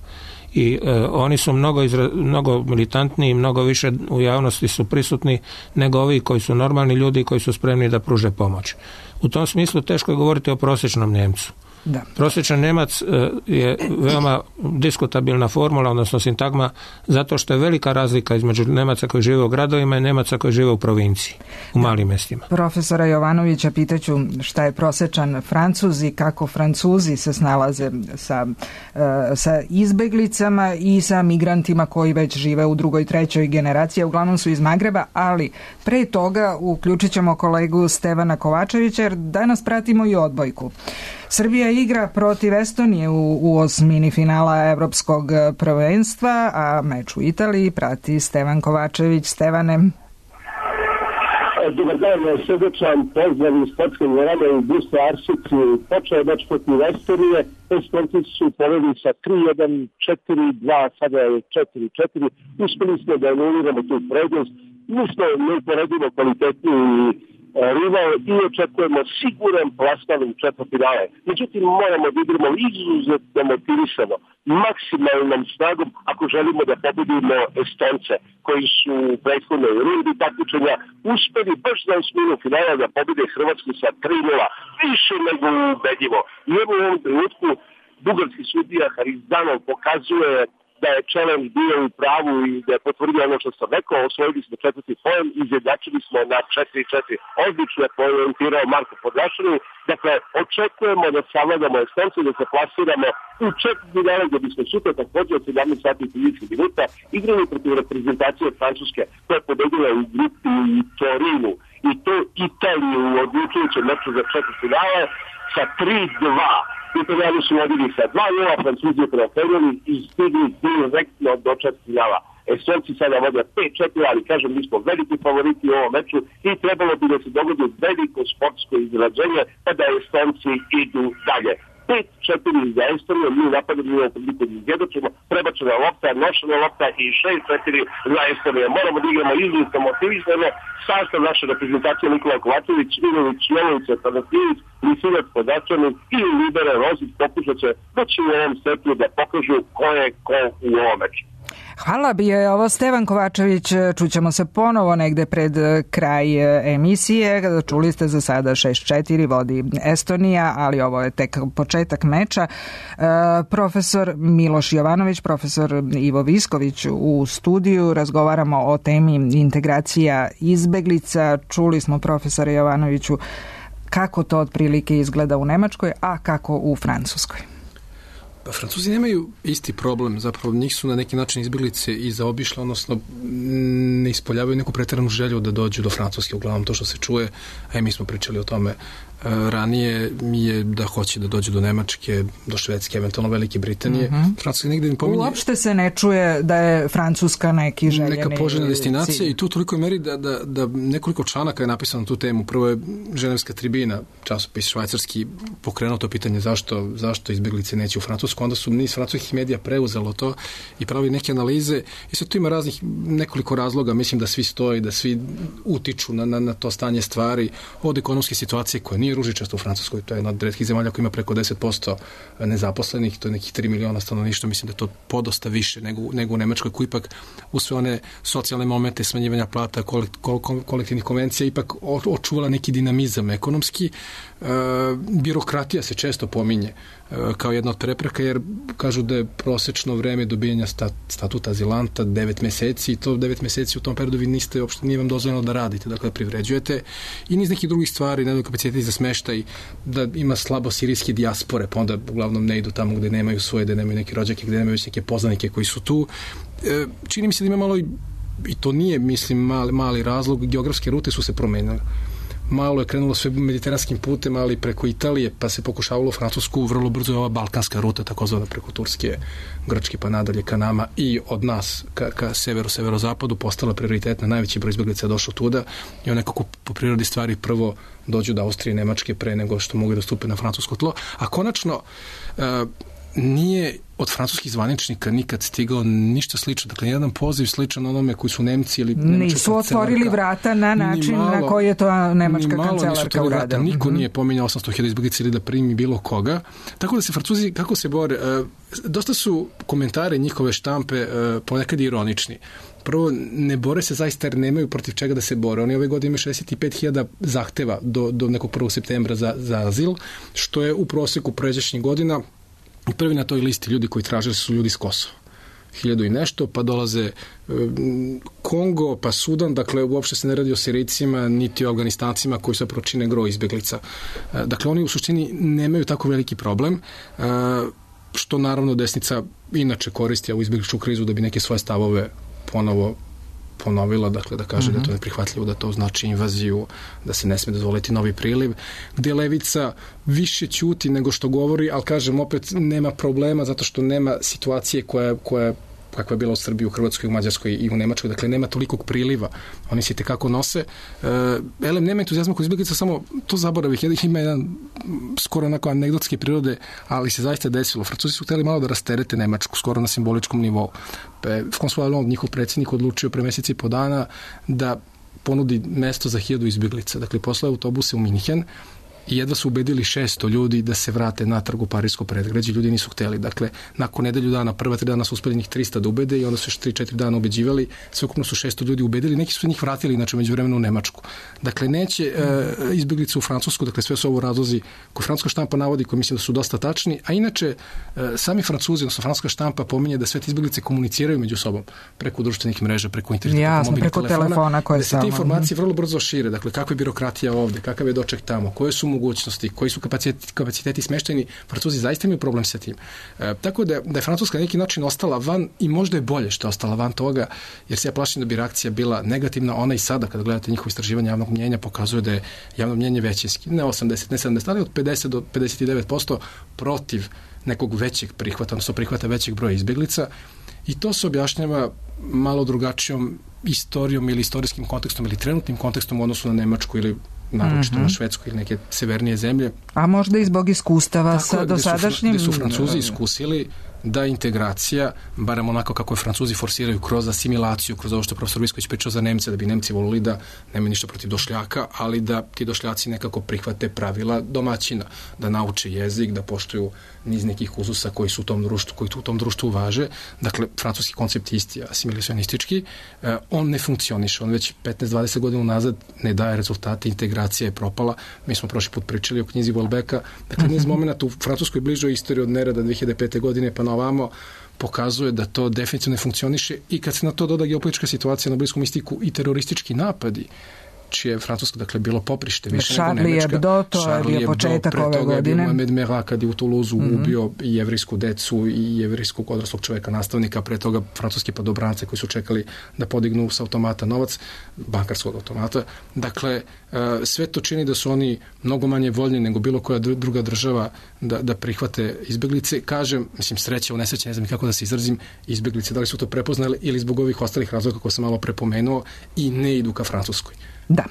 I e, oni su mnogo, izra, mnogo militantniji, mnogo više u javnosti su prisutni nego ovi koji su normalni ljudi koji su spremni da pruže pomoć. U tom smislu teško je govoriti o prosječnom Njemcu. Da. Prosječan Njemac je veoma diskutabilna formula, odnosno sintagma, zato što je velika razlika između Njemaca koji žive u gradovima i Njemaca koji žive u provinciji, u malim mjestima. Profesora Jovanovića pitaću šta je prosječan Francuz i kako Francuzi se snalaze sa, sa izbeglicama i sa migrantima koji već žive u drugoj, trećoj generaciji, uglavnom su iz Magreba, ali pre toga uključit ćemo kolegu Stevana Kovačevića jer danas pratimo i odbojku. Srbija igra protiv Estonije u, u osmini finala Evropskog prvenstva, a meč u Italiji prati Stevan Kovačević. Stevane. Dobar dan, srdečan pozdrav iz sportske dvorane u Busto Arsici. Počeo je meč protiv Estonije, Estonci su povedli sa tri jedan, četiri dva, sada je četiri četiri. Uspeli smo da anuliramo tu prednost. Mi smo neuporedimo kvalitetniji rival i očekujemo siguran plasman u četvrtfinale. Međutim, moramo da igramo izuzetno motivisano, maksimalnom snagom ako želimo da pobedimo Estonce koji su u prethodnoj rundi takmičenja uspeli baš za osminu finala da pobede Hrvatsku sa tri nula. Više nego ubedljivo. I evo u ovom trenutku bugarski sudija Harizdanov pokazuje da je challenge bio u pravu i da je potvrdio ono što sam rekao, osvojili smo četvrti poen, izjednačili smo na četiri četiri. Odlično je poentirao Marko Podlašanu. Dakle, očekujemo da savladamo Estonce, da se plasiramo u četvrtfinale gdje bismo sutra također od sedamnaest sati i trideset minuta igrali protiv reprezentacije Francuske koja je pobedila u grupi u Torinu i to Italiju u odlučujućem meču za četvrtfinale sa tri dva. Italijani su vodili sa dva nula, Francuzi preoferili i stigli direktno do četvrtfinala. Estonci sada vode pet četiri, ali kažem, mi smo veliki favoriti u ovom meču i trebalo bi da se dogodi veliko sportsko izrađenje pa da Estonci idu dalje. pet četiri za Estoniju, mi napadamo u ovom priliku da izjedočimo, prebačena lopta, nošena lopta i šest četiri za Estoniju. Moramo da igramo izuzetno motivisano, sastav naše reprezentacije Nikola Kovačević, Ivanović, Jovović, Tanasijević, Misinac, Podačanin i Libera Rozić pokušat će doći u ovom setu da pokažu ko je ko u ovom meču. Hvala, bio je ovo Stevan Kovačević, čućemo se ponovo negde pred kraj emisije. Čuli ste za sada šest četiri vodi Estonija, ali ovo je tek početak meča. Profesor Miloš Jovanović, profesor Ivo Visković u studiju, razgovaramo o temi integracija izbeglica. Čuli smo profesora Jovanoviću kako to otprilike izgleda u Nemačkoj, a kako u Francuskoj. Pa Francuzi nemaju isti problem, zapravo njih su na neki način izbjeglice i zaobišle, odnosno ne ispoljavaju neku pretjeranu želju da dođu do Francuske, uglavnom to što se čuje, a i mi smo pričali o tome ranije, je da hoće da dođe do Nemačke, do Švedske, eventualno Velike Britanije. Mm-hmm. Francuska negdje ne pominje... Uopšte se ne čuje da je Francuska neki željeni neka poželjna destinacija i tu toliko meri da, da, da nekoliko članaka je napisano na tu temu. Prvo je Ženevska tribina, časopis švajcarski, pokrenuo to pitanje zašto, zašto izbjeglice neće u Francusku. Onda su niz francuskih medija preuzelo to i pravi neke analize. I sad tu ima raznih nekoliko razloga. Mislim da svi stoji, da svi utiču na, na, na to stanje stvari od ekonomske situacije koja nije nije ružičasto u Francuskoj, to je jedna od retkih zemalja koja ima preko deset posto nezaposlenih, to je nekih tri miliona stanovništva, mislim da je to podosta više nego, nego u Nemačkoj, koji ipak u sve one socijalne momente smanjivanja plata, kolektivnih konvencija ipak očuvala neki dinamizam ekonomski. E, birokratija se često pominje e, kao jedna od prepreka, jer kažu da je prosečno vreme dobijanja stat, statuta azilanta devet meseci i to devet meseci u tom periodu vi niste, uopšte nije vam dozvoljeno da radite, dakle da privređujete i niz nekih drugih stvari, ne kapaciteti za smeštaj, da ima slabo sirijske dijaspore, pa onda uglavnom ne idu tamo gde nemaju svoje, gde nemaju neke rođake, gde nemaju već neke poznanike koji su tu. E, čini mi se da ima malo i, i to nije, mislim, mali, mali razlog, geografske rute su se promenile. Malo je krenulo sve mediteranskim putem, ali preko Italije, pa se pokušavalo u Francusku, vrlo brzo je ova balkanska ruta, takozvana preko Turske, Grčke, pa nadalje ka nama i od nas ka, ka severu, severozapadu postala prioritetna, najveći broj izbjeglica je došao tuda i on nekako po prirodi stvari prvo dođu do Austrije i Nemačke pre nego što mogu da stupe na francusko tlo, a konačno uh, nije od francuskih zvaničnika nikad stigao ništa slično. Dakle, jedan poziv sličan onome koji su Nemci ili Nemačka nisu otvorili vrata na način malo, na koji je to nemačka kancelarka uradila. Niko mm-hmm. nije pominjao osamsto hiljada izbjeglica ili da primi bilo koga. Tako da se Francuzi, kako se bore, uh, dosta su komentare njihove štampe uh, ponekad ironični. Prvo, ne bore se zaista jer nemaju protiv čega da se bore. Oni ove godine imaju šezdeset pet hiljada zahteva do, do nekog prvog septembra za, za azil, što je u proseku pređašnjih godina. I prvi na toj listi ljudi koji traže su ljudi iz Kosova. Hiljadu i nešto, pa dolaze e, Kongo, pa Sudan, dakle uopšte se ne radi o Sirijcima, niti o Afganistancima koji se pročine gro izbjeglica. E, dakle, oni u suštini nemaju tako veliki problem, e, što naravno desnica inače koristi ovu izbjegličku krizu da bi neke svoje stavove ponovo ponovila, dakle da kaže mm-hmm. da je to neprihvatljivo, da to znači invaziju, da se ne sme dozvoliti novi priliv, gde levica više ćuti nego što govori, ali kažem opet nema problema zato što nema situacije koja, koja kakva je bila u Srbiji, u Hrvatskoj, u Mađarskoj i u Nemačkoj, dakle nema tolikog priliva, oni se tekako nose. E, elem, nema entuzijazma kod izbjeglica, samo to zaboravih, ima jedan skoro onako anegdotske prirode, ali se zaista desilo. Francuzi su hteli malo da rasterete Nemačku, skoro na simboličkom nivou. François Hollande, njihov predsjednik, odlučio pre meseci i po dana da ponudi mesto za hiljadu izbjeglica. Dakle, poslao autobuse u Minhen i jedva su ubedili šesto ljudi da se vrate natrag u Parisko predgrađe, ljudi nisu hteli. Dakle, nakon nedelju dana, prva tri dana su uspeli njih trista da ubede i onda su još tri četiri dana ubeđivali, sveukupno su šesto ljudi ubedili, neki su njih vratili, znači međuvremenu u Nemačku. Dakle, neće e, izbjeglice u Francusku, dakle sve su ovo razlozi koje francuska štampa navodi, koji mislim da su dosta tačni, a inače e, sami Francuzi, odnosno francuska štampa pominje da sve te izbjeglice komuniciraju među sobom preko društvenih mreža, preko interneta, jasno, preko, preko telefona, telefona koje da se te informacije vrlo brzo šire, dakle kakva je birokratija ovde, kakav je doček tamo, koje su mogućnosti, koji su kapaciteti, kapaciteti smeštajni, Francuzi zaista imaju problem sa tim. E, tako da, da je Francuska na neki način ostala van i možda je bolje što je ostala van toga, jer se ja plašim da bi reakcija bila negativna. Ona i sada, kada gledate njihovo istraživanje javnog mnjenja, pokazuje da je javno mnjenje većinski. Ne osamdeset, ne sedamdeset, ali od pedeset do pedeset devet posto protiv nekog većeg prihvata, odnosno prihvata većeg broja izbjeglica. I to se objašnjava malo drugačijom istorijom ili istorijskim kontekstom ili trenutnim kontekstom u odnosu na Nemačku ili naročito mm-hmm. na Švedsku ili neke severnije zemlje. A možda i zbog iskustava tako, sa dosadašnjim... Gde su Francuzi iskusili da integracija, barem onako kako je Francuzi forsiraju kroz asimilaciju, kroz ovo što profesor Visković pričao za Nemce, da bi Nemci volili da nema ništa protiv došljaka, ali da ti došljaci nekako prihvate pravila domaćina, da nauče jezik, da poštuju niz nekih uzusa koji su u tom društvu, koji u tom društvu važe. Dakle, francuski koncept isti, asimilicionistički, eh, on ne funkcioniše, on već petnaest dvadeset godina nazad ne daje rezultate, integracija je propala. Mi smo prošli put pričali o knjizi Welbecka, dakle, niz momenta u francuskoj bližoj istoriji od nerada dve hiljade pete godine pa na ovamo pokazuje da to definitivno ne funkcioniše i kad se na to doda geopolitička situacija na Bliskom istiku i teroristički napadi, čije je Francuska, dakle, bilo poprište više Charlie nego Nemačka. Hebdo, to je bio početak ove godine. Pre toga je bio Mohamed Merah kad je u Toulouse mm-hmm. ubio i jevrijsku decu i jevrijskog odraslog čoveka, nastavnika, pre toga francuski padobrance koji su čekali da podignu s automata novac, bankarskog automata. Dakle, sve to čini da su oni mnogo manje voljni nego bilo koja druga država da, da prihvate izbjeglice. Kažem, mislim, sreće u nesreće, ne znam kako da se izrazim, izbjeglice, da li su to prepoznali ili zbog ovih ostalih razloga koje sam malo prepomenuo i ne idu ka Francuskoj. Da.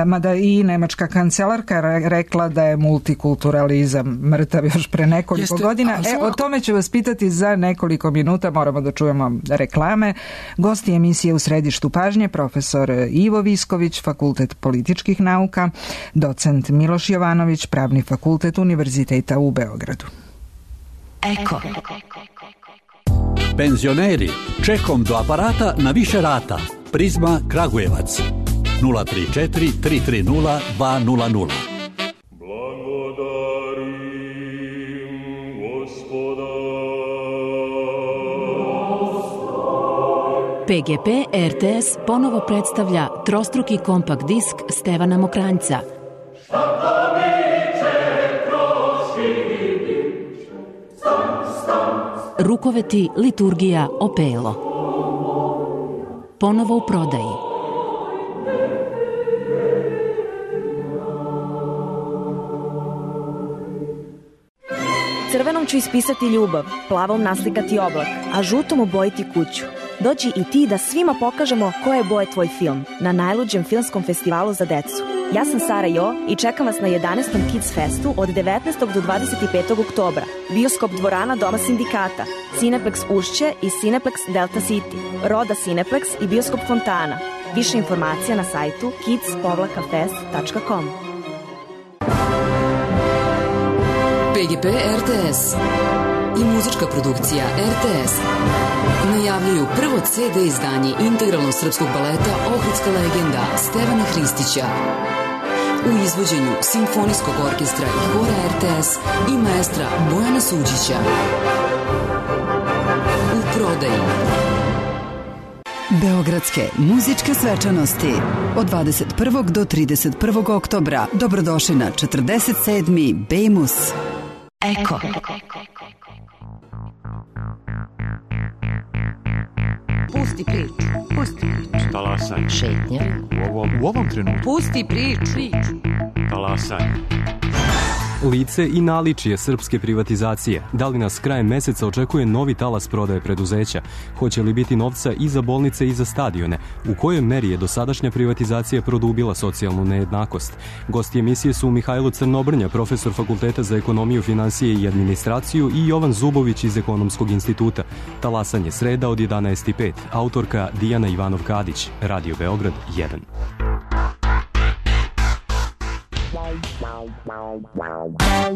mada i nemačka kancelarka rekla da je multikulturalizam mrtav još pre nekoliko Jeste, godina. E, o tome ću vas pitati za nekoliko minuta, moramo da čujemo reklame. Gosti emisije U središtu pažnje, profesor Ivo Visković, Fakultet političkih nauka, docent Miloš Jovanović, Pravni fakultet Univerziteta u Beogradu. Eko. Penzioneri, čekom do aparata na više rata. Prizma Kragujevac. nula tri četiri tri tri nula dva nula nula. P G P R T S ponovo predstavlja trostruki kompakt disk Stevana Mokranjca. Rukoveti, liturgija, opelo. Ponovo u prodaji. Crvenom ću ispisati ljubav, plavom naslikati oblak, a žutom obojiti kuću. Dođi i ti da svima pokažemo koje boje tvoj film na najluđem filmskom festivalu za decu. Ja sam Sara Jo i čekam vas na jedanaestom Kids Festu od devetnaestog do dvadeset petog oktobra. Bioskop dvorana Doma sindikata, Cineplex Ušće i Cineplex Delta City, Roda Cineplex i Bioskop Fontana. Više informacija na sajtu kids fest tačka com. P G P R T S i muzička produkcija R T S najavljuju prvo C D izdanje integralnog srpskog baleta Ohridska legenda Stevana Hristića u izvođenju Simfonijskog orkestra i hora R T S i maestra Bojana Suđića. U prodaji. Beogradske muzičke svečanosti od dvadeset prvog do trideset prvog oktobra. Dobrodošli na četrdeset sedmi Bejmus. Eko. Pusti priču, pusti priču. Talasaj. Šetnja. U ovom, u ovom trenutku. Pusti priču. Talasaj. Lice i naličije srpske privatizacije. Da li nas krajem meseca očekuje novi talas prodaje preduzeća? Hoće li biti novca i za bolnice i za stadione? U kojoj meri je dosadašnja privatizacija produbila socijalnu nejednakost? Gosti emisije su Mihajlo Crnobrnja, profesor Fakulteta za ekonomiju, finansije i administraciju, i Jovan Zubović iz Ekonomskog instituta. Talasanje sreda od jedanaest i pet. Autorka Dijana Ivanov-Kadić. Radio Beograd jedan. Wow, wow, wow, wow.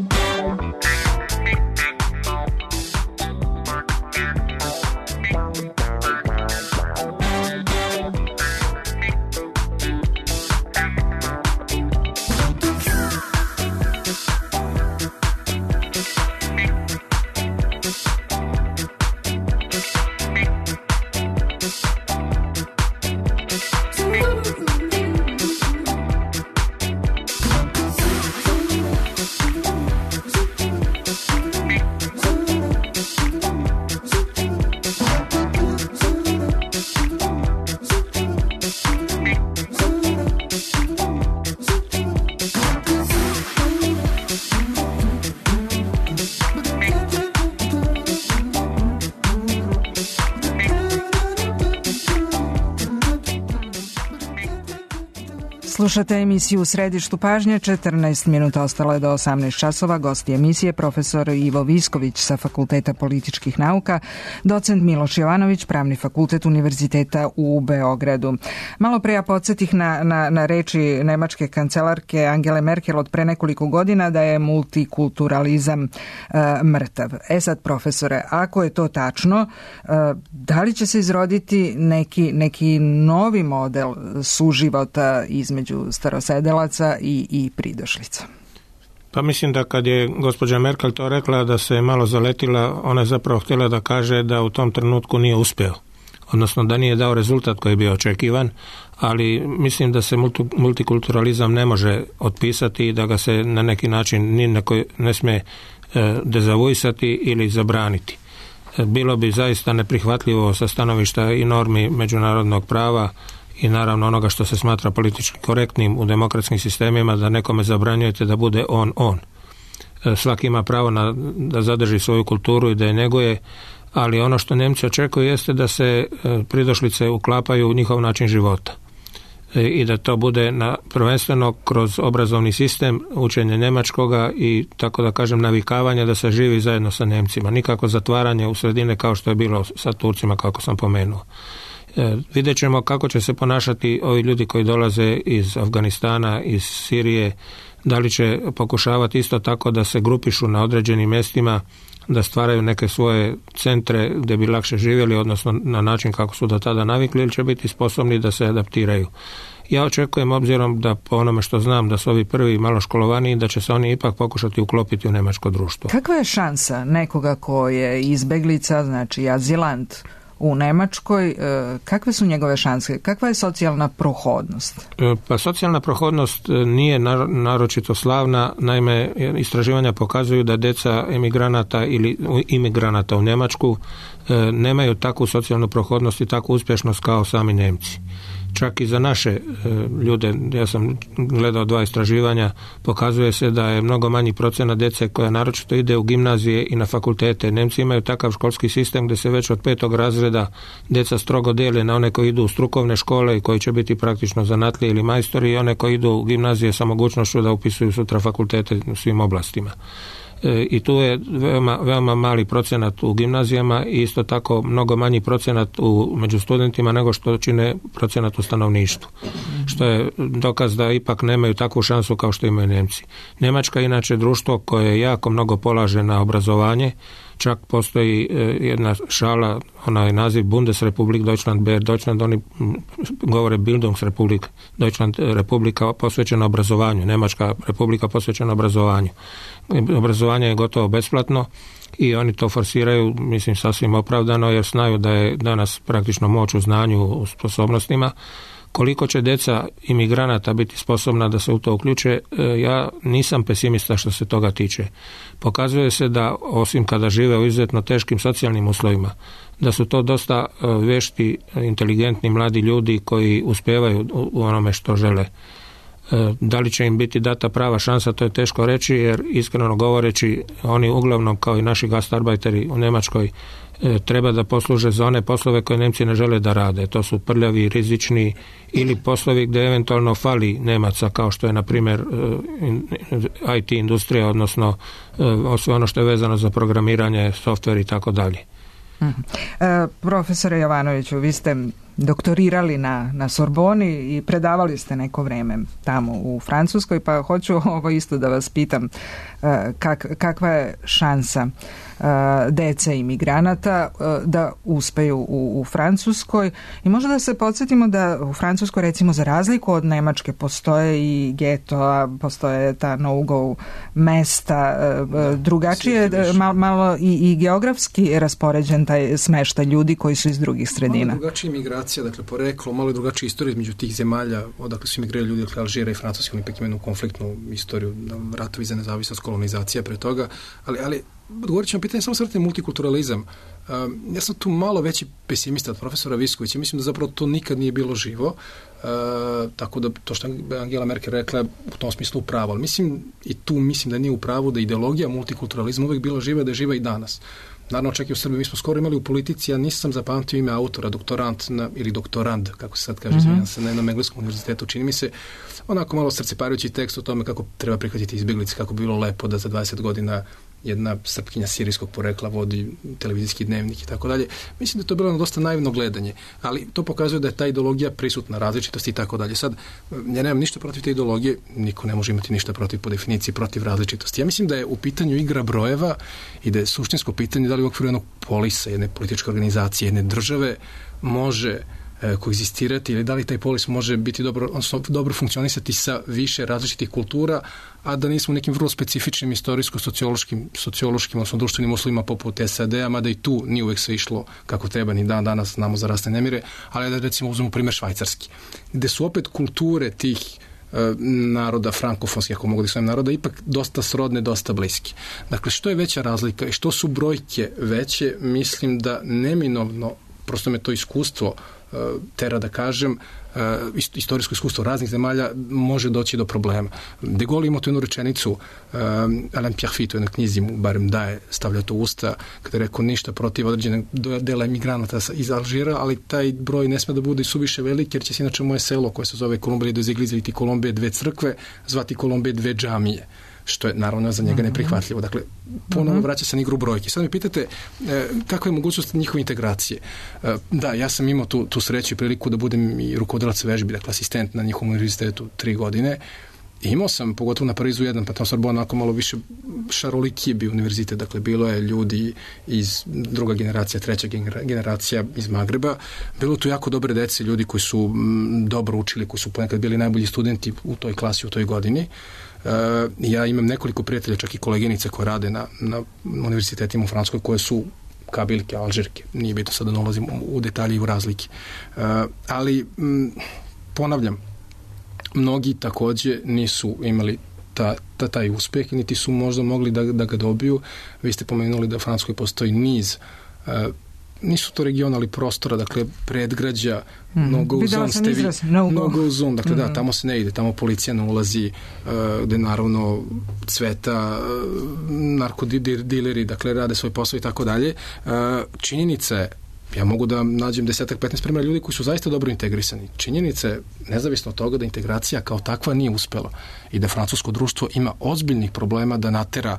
Slušate emisiju U središtu pažnje, četrnaest minuta ostalo je do osamnaest časova. Gosti emisije profesor Ivo Visković sa Fakulteta političkih nauka, docent Miloš Jovanović, Pravni fakultet Univerziteta u Beogradu. Malo pre ja podsjetih na, na, na reči nemačke kancelarke Angele Merkel od pre nekoliko godina da je multikulturalizam e, mrtav. E sad, profesore, ako je to tačno, e, da li će se izroditi neki, neki novi model suživota između starosedelaca i, i pridošlica? Pa mislim da kad je gospođa Merkel to rekla da se malo zaletila, ona je zapravo htjela da kaže da u tom trenutku nije uspeo. Odnosno da nije dao rezultat koji je bio očekivan, ali mislim da se multikulturalizam ne može otpisati i da ga se na neki način ni na koji ne smije dezavuisati ili zabraniti. Bilo bi zaista neprihvatljivo sa stanovišta i normi međunarodnog prava i naravno onoga što se smatra politički korektnim u demokratskim sistemima, da nekome zabranjujete da bude on, on. Svaki ima pravo na, da zadrži svoju kulturu i da je neguje, ali ono što Nemci očekuju jeste da se pridošlice uklapaju u njihov način života. i da to bude na, prvenstveno kroz obrazovni sistem, učenje njemačkoga i tako da kažem navikavanje da se živi zajedno sa Nemcima, nikako zatvaranje u sredine kao što je bilo sa Turcima kako sam pomenuo. E, vidjet ćemo kako će se ponašati ovi ljudi koji dolaze iz Afganistana, iz Sirije, da li će pokušavati isto tako da se grupišu na određenim mjestima, da stvaraju neke svoje centre gdje bi lakše živjeli, odnosno na način kako su do tada navikli, ili će biti sposobni da se adaptiraju. Ja očekujem, obzirom da po onome što znam da su ovi prvi malo školovani, da će se oni ipak pokušati uklopiti u njemačko društvo. Kakva je šansa nekoga ko je izbeglica, znači azilant u Nemačkoj, kakve su njegove šanse? Kakva je socijalna prohodnost? Pa socijalna prohodnost nije naročito slavna, naime istraživanja pokazuju da djeca emigranata ili imigranata u Njemačku nemaju takvu socijalnu prohodnost i takvu uspješnost kao sami Nemci. Čak i za naše e, ljude, ja sam gledao dva istraživanja, pokazuje se da je mnogo manji procenat djece koja naročito ide u gimnazije i na fakultete. Nemci imaju takav školski sistem gdje se već od petog razreda djeca strogo dijele na one koji idu u strukovne škole i koji će biti praktično zanatlije ili majstori, i one koji idu u gimnazije sa mogućnošću da upisuju sutra fakultete u svim oblastima. I tu je veoma, veoma mali procenat u gimnazijama i isto tako mnogo manji procenat u, među studentima nego što čine procenat u stanovništvu. Što je dokaz da ipak nemaju takvu šansu kao što imaju Nemci. Njemačka je inače društvo koje jako mnogo polaže na obrazovanje. Čak postoji jedna šala, onaj naziv Bundesrepublik Deutschland Ber Deutschland, oni govore Bildungsrepublik Deutschland, republika posvećena obrazovanju, Njemačka republika posvećena obrazovanju. Obrazovanje je gotovo besplatno i oni to forsiraju, mislim, sasvim opravdano, jer znaju da je danas praktično moć u znanju, u sposobnostima. Koliko će djeca imigranata biti sposobna da se u to uključe, ja nisam pesimista što se toga tiče. Pokazuje se da, osim kada žive u izuzetno teškim socijalnim uslovima, da su to dosta vešti, inteligentni mladi ljudi koji uspijevaju u onome što žele. Da li će im biti data prava šansa, to je teško reći, jer iskreno govoreći, oni uglavnom kao i naši gastarbajteri u Njemačkoj treba da posluže za one poslove koje Nemci ne žele da rade. To su prljavi, rizični ili poslovi gdje eventualno fali Nemaca, kao što je na primjer I T industrija, odnosno sve ono što je vezano za programiranje, softver i tako dalje. Profesore Jovanoviću, vi ste doktorirali na, na Sorboni i predavali ste neko vrijeme tamo u Francuskoj, pa hoću ovo isto da vas pitam, kak, kakva je šansa dece imigranata da uspeju u, u Francuskoj, i možda da se podsjetimo da u Francuskoj, recimo, za razliku od Nemačke, postoje i geto, postoje ta no-go mesta, da, drugačije, malo, malo i, i geografski raspoređen taj smeštaj ljudi koji su iz drugih sredina. Malo drugačija migracija, dakle poreklo, malo drugačija istorija između tih zemalja, odakle su imigrirali ljudi, dakle Alžira i Francuska, oni ipak imaju konfliktnu istoriju, ratovi za nezavisnost, kolonizacija pre toga, ali, ali odgovorit ću na pitanje, samo svrte multikulturalizam. Um, ja sam tu malo veći pesimista od profesora Viskovića. Mislim da zapravo to nikad nije bilo živo. Uh, tako da to što Angela Merkel rekla u tom smislu upravo. Ali mislim, i tu mislim da nije upravo, da ideologija multikulturalizma uvijek bila živa, da je živa i danas. Naravno, čak i u Srbiji, mi smo skoro imali u politici, ja nisam zapamtio ime autora, doktorant na, ili doktorand, kako se sad kaže, mm-hmm. se na jednom engleskom univerzitetu, čini mi se, onako malo srceparujući tekst o tome kako treba prihvatiti izbjeglice, kako bi bilo lepo da za dvadeset godina jedna Srpkinja sirijskog porekla vodi televizijski dnevnik i tako dalje. Mislim da je to bilo na dosta naivno gledanje, ali to pokazuje da je ta ideologija prisutna, različitosti i tako dalje. Sad, ja nemam ništa protiv te ideologije, niko ne može imati ništa protiv, po definiciji, protiv različitosti. Ja mislim da je u pitanju igra brojeva i da je suštinsko pitanje da li u okviru jednog polisa, jedne političke organizacije, jedne države može koegzistirati, ili da li taj polis može biti dobro, odnosno dobro funkcionisati sa više različitih kultura, a da nismo nekim vrlo specifičnim istorijsko-sociološkim, sociološkim, odnosno društvenim uslovima poput S A D-a, mada i tu nije uvek sve išlo kako treba, ni dan danas znamo za rasne nemire, ali da recimo uzmemo primjer Švajcarski, gde su opet kulture tih naroda, frankofonskih, ako mogu da svojim naroda, ipak dosta srodne, dosta bliski. Dakle, što je veća razlika i što su brojke veće, mislim da neminovno, prosto me to iskustvo tera da kažem, istorijsko iskustvo raznih zemalja, može doći do problema. De Gaulle ima tu jednu rečenicu, Alain Pierrefitte u jednoj knjizi mu barem daje, stavlja to u usta, kada je rekao ništa protiv određenog dela emigranata iz Alžira, ali taj broj ne sme da bude suviše veliki, jer će se inače moje selo koje se zove Kolumbije do Ziglizviti Kolumbije dve crkve, zvati Kolumbije dve džamije, što je naravno za njega neprihvatljivo. Dakle, ponovo vraća se na igru brojke. Sad mi pitate e, kakva je mogućnost njihove integracije. E, da, ja sam imao tu, tu sreću i priliku da budem i rukovodilac vežbi, dakle asistent na njihovom univerzitetu tri godine. I imao sam, pogotovo na Parizu jedan, pa tamo Sorbona onako malo više šarolikije bio univerzitet, dakle bilo je ljudi iz druga generacija, treća generacija iz Magreba, bilo tu jako dobre dece, ljudi koji su m, dobro učili, koji su ponekad bili najbolji studenti u toj klasi, u toj godini. Uh, ja imam nekoliko prijatelja, čak i koleginice koje rade na, na univerzitetima u Francuskoj, koje su kabilke, alžirke, nije bitno sad da ne ulazim u, u detalje i u razlike. Uh, ali m, ponavljam, mnogi takođe nisu imali ta, ta, taj uspeh, niti su možda mogli da, da ga dobiju. Vi ste pomenuli da u Francuskoj postoji niz uh, nisu to region, ali prostora, dakle predgrađa, mm. no go zone, ste vi, no, no go zone, dakle mm. da, tamo se ne ide, tamo policija ne ulazi, uh, gde naravno cveta uh, narkodileri, dakle rade svoj posao i tako dalje. Uh, činjenica je, ja mogu da nađem desetak, petnaest primjera ljudi koji su zaista dobro integrisani. Činjenica je, nezavisno od toga, da integracija kao takva nije uspela i da francusko društvo ima ozbiljnih problema da natera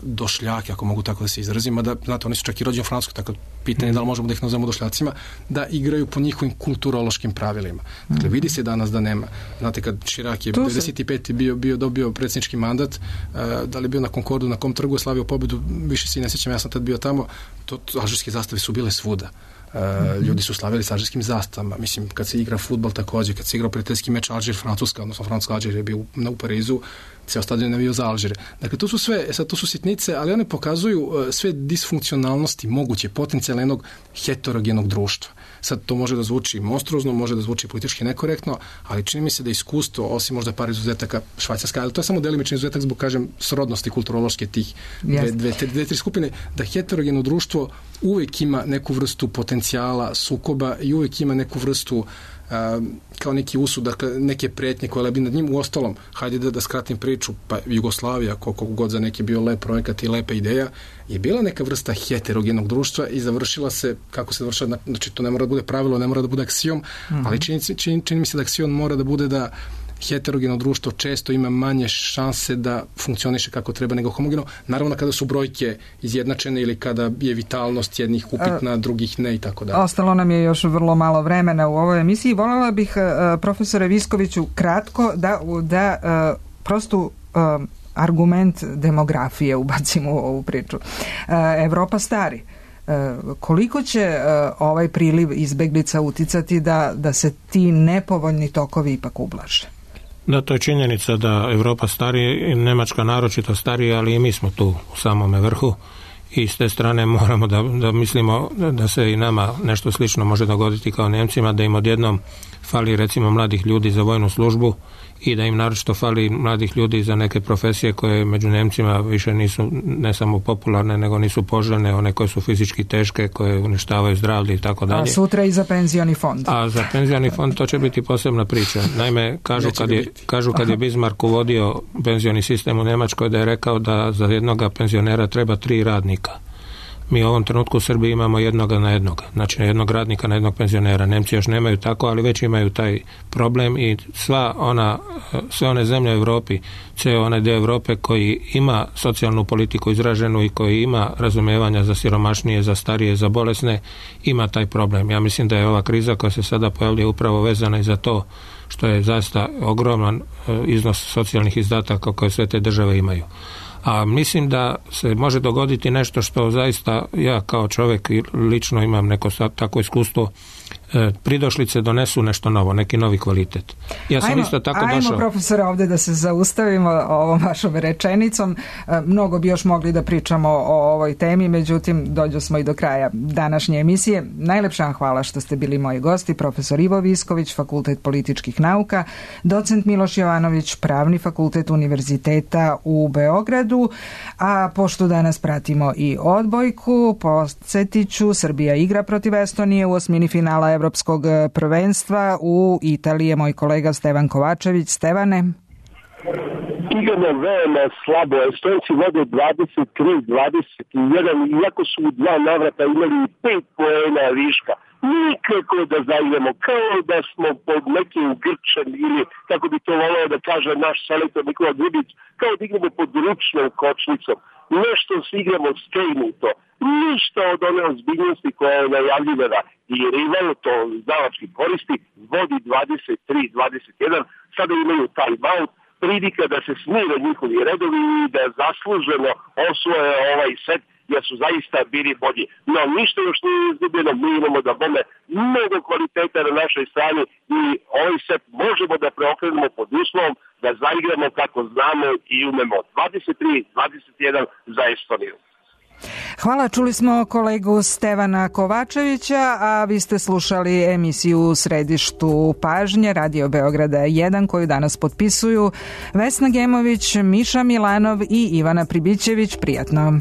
došljake, ako mogu tako da se izrazim, da, znate, oni su čak i rođeni u Francuskoj, tako pitanje je da li možemo da ih nazovemo došljacima, da igraju po njihovim kulturološkim pravilima. Dakle, vidi se danas da nema. Znate, kad Širak je devedeset pete bio, bio dobio predsjednički mandat, uh, da li je bio na Concordu, na kom trgu je slavio pobedu, više se i ne sjećam, ja sam tad bio tamo, to, to alžirske zastave su bile svuda. Uh, mm-hmm. Ljudi su slavili sa alžirskim zastavama. Mislim, kad se igra fudbal također, kad se igrao prijateljski meč Alžir-Francuska, odnosno Francuska-Alžir je bio u, u Parizu, ceo stadion je navio za Alžire. Dakle, to su sve, sad to su sitnice, ali one pokazuju uh, sve disfunkcionalnosti moguće, potencijalno jednog heterogenog društva. Sad to može da zvuči monstruozno, može da zvuči politički nekorektno, ali čini mi se da iskustvo, osim možda par izuzetaka, Švajcarska, ali to je samo delimični izuzetak zbog, kažem, srodnosti kulturološke tih dve, dve, dve, dve, tri skupine, da heterogeno društvo uvijek ima neku vrstu potencijala sukoba i uvijek ima neku vrstu Uh, kao neki usud, dakle neke pretnje koje lebi nad njim. U ostalom, hajde da, da skratim priču, pa Jugoslavija, koliko god za neki bio lep projekat i lepa ideja, je bila neka vrsta heterogenog društva i završila se, kako se završila, znači to ne mora da bude pravilo, ne mora da bude aksiom, mm-hmm. ali čini, čini, čini mi se da aksiom mora da bude da heterogeno društvo često ima manje šanse da funkcioniše kako treba nego homogeno. Naravno kada su brojke izjednačene ili kada je vitalnost jednih upitna, drugih ne i tako dalje. Ostalo nam je još vrlo malo vremena u ovoj emisiji. Voljela bih, profesore Viskoviću, kratko da, da prosto argument demografije ubacimo u ovu priču. Evropa stari. Koliko će ovaj priliv izbeglica uticati da, da se ti nepovoljni tokovi ipak ublaže? Da, to je činjenica da Evropa stari, Nemačka naročito starija, ali i mi smo tu u samome vrhu i s te strane moramo da, da mislimo da se i nama nešto slično može dogoditi kao Nemcima, da im odjednom fali recimo mladih ljudi za vojnu službu i da im naročito fali mladih ljudi za neke profesije koje među Nemcima više nisu ne samo popularne, nego nisu poželjne, one koje su fizički teške, koje uništavaju zdravlje i tako dalje. A sutra i za penzioni fond. A za penzioni fond to će biti posebna priča. Naime, kažu kad je, kažu kad je Bismarck uvodio penzioni sistem u Njemačkoj da je rekao da za jednoga penzionera treba tri radnika. Mi u ovom trenutku u Srbiji imamo jednoga na jednoga, znači jednog radnika na jednog penzionera. Nemci još nemaju tako, ali već imaju taj problem i sva ona, sve one zemlje u Europi, ceo onaj dio Europe koji ima socijalnu politiku izraženu i koji ima razumijevanja za siromašnije, za starije, za bolesne, ima taj problem. Ja mislim da je ova kriza koja se sada pojavlja upravo vezana i za to što je zaista ogroman iznos socijalnih izdataka koje sve te države imaju. A mislim da se može dogoditi nešto što zaista ja kao čovjek lično imam neko tako iskustvo, pridošlice donesu nešto novo, neki novi kvalitet. Ja sam ajmo, isto tako ajmo, došao... Ajmo, profesore, ovdje da se zaustavimo ovom vašom rečenicom. Mnogo bi još mogli da pričamo o ovoj temi, međutim, dođo smo i do kraja današnje emisije. Najlepša vam hvala što ste bili moji gosti, profesor Ivo Visković, Fakultet političkih nauka, docent Miloš Jovanović, Pravni fakultet Univerziteta u Beogradu, a pošto danas pratimo i odbojku, podsjetiću, Srbija igra protiv Estonije u osmini finala finala evropskog prvenstva. U Italiji je moj kolega Stevan Kovačević. Stevane? Igramo veoma slabo. Estonci vode dvadeset tri dvadeset jedan, iako su u dva navrata imali pet poena viška. Nikako da zaigramo, kao da smo pod nekim grčem ili, kako bi to voleo da kaže naš selektor Nikola Grubić, kao da igramo pod ručnom kočnicom. Nešto se igramo skrenuto. Ništa od one ozbiljnosti koja je najavljivana i rival to znalački koristi, vodi dvadeset tri dvadeset jedan, sada imaju time out, prilika da se smire njihovi redovi i da zasluženo osvoje ovaj set, jer su zaista bili bolji. No, ništa još nije izgubljeno, mi imamo da bome mnogo kvaliteta na našoj strani i ovaj set možemo da preokrenemo pod uslovom da zaigramo kako znamo i umemo. dvadeset tri dvadeset jedan za Estoniju. Hvala, čuli smo kolegu Stevana Kovačevića, a vi ste slušali emisiju U središtu pažnje Radio Beograda jedan, koju danas potpisuju Vesna Gemović, Miša Milanov i Ivana Pribićević. Prijatno.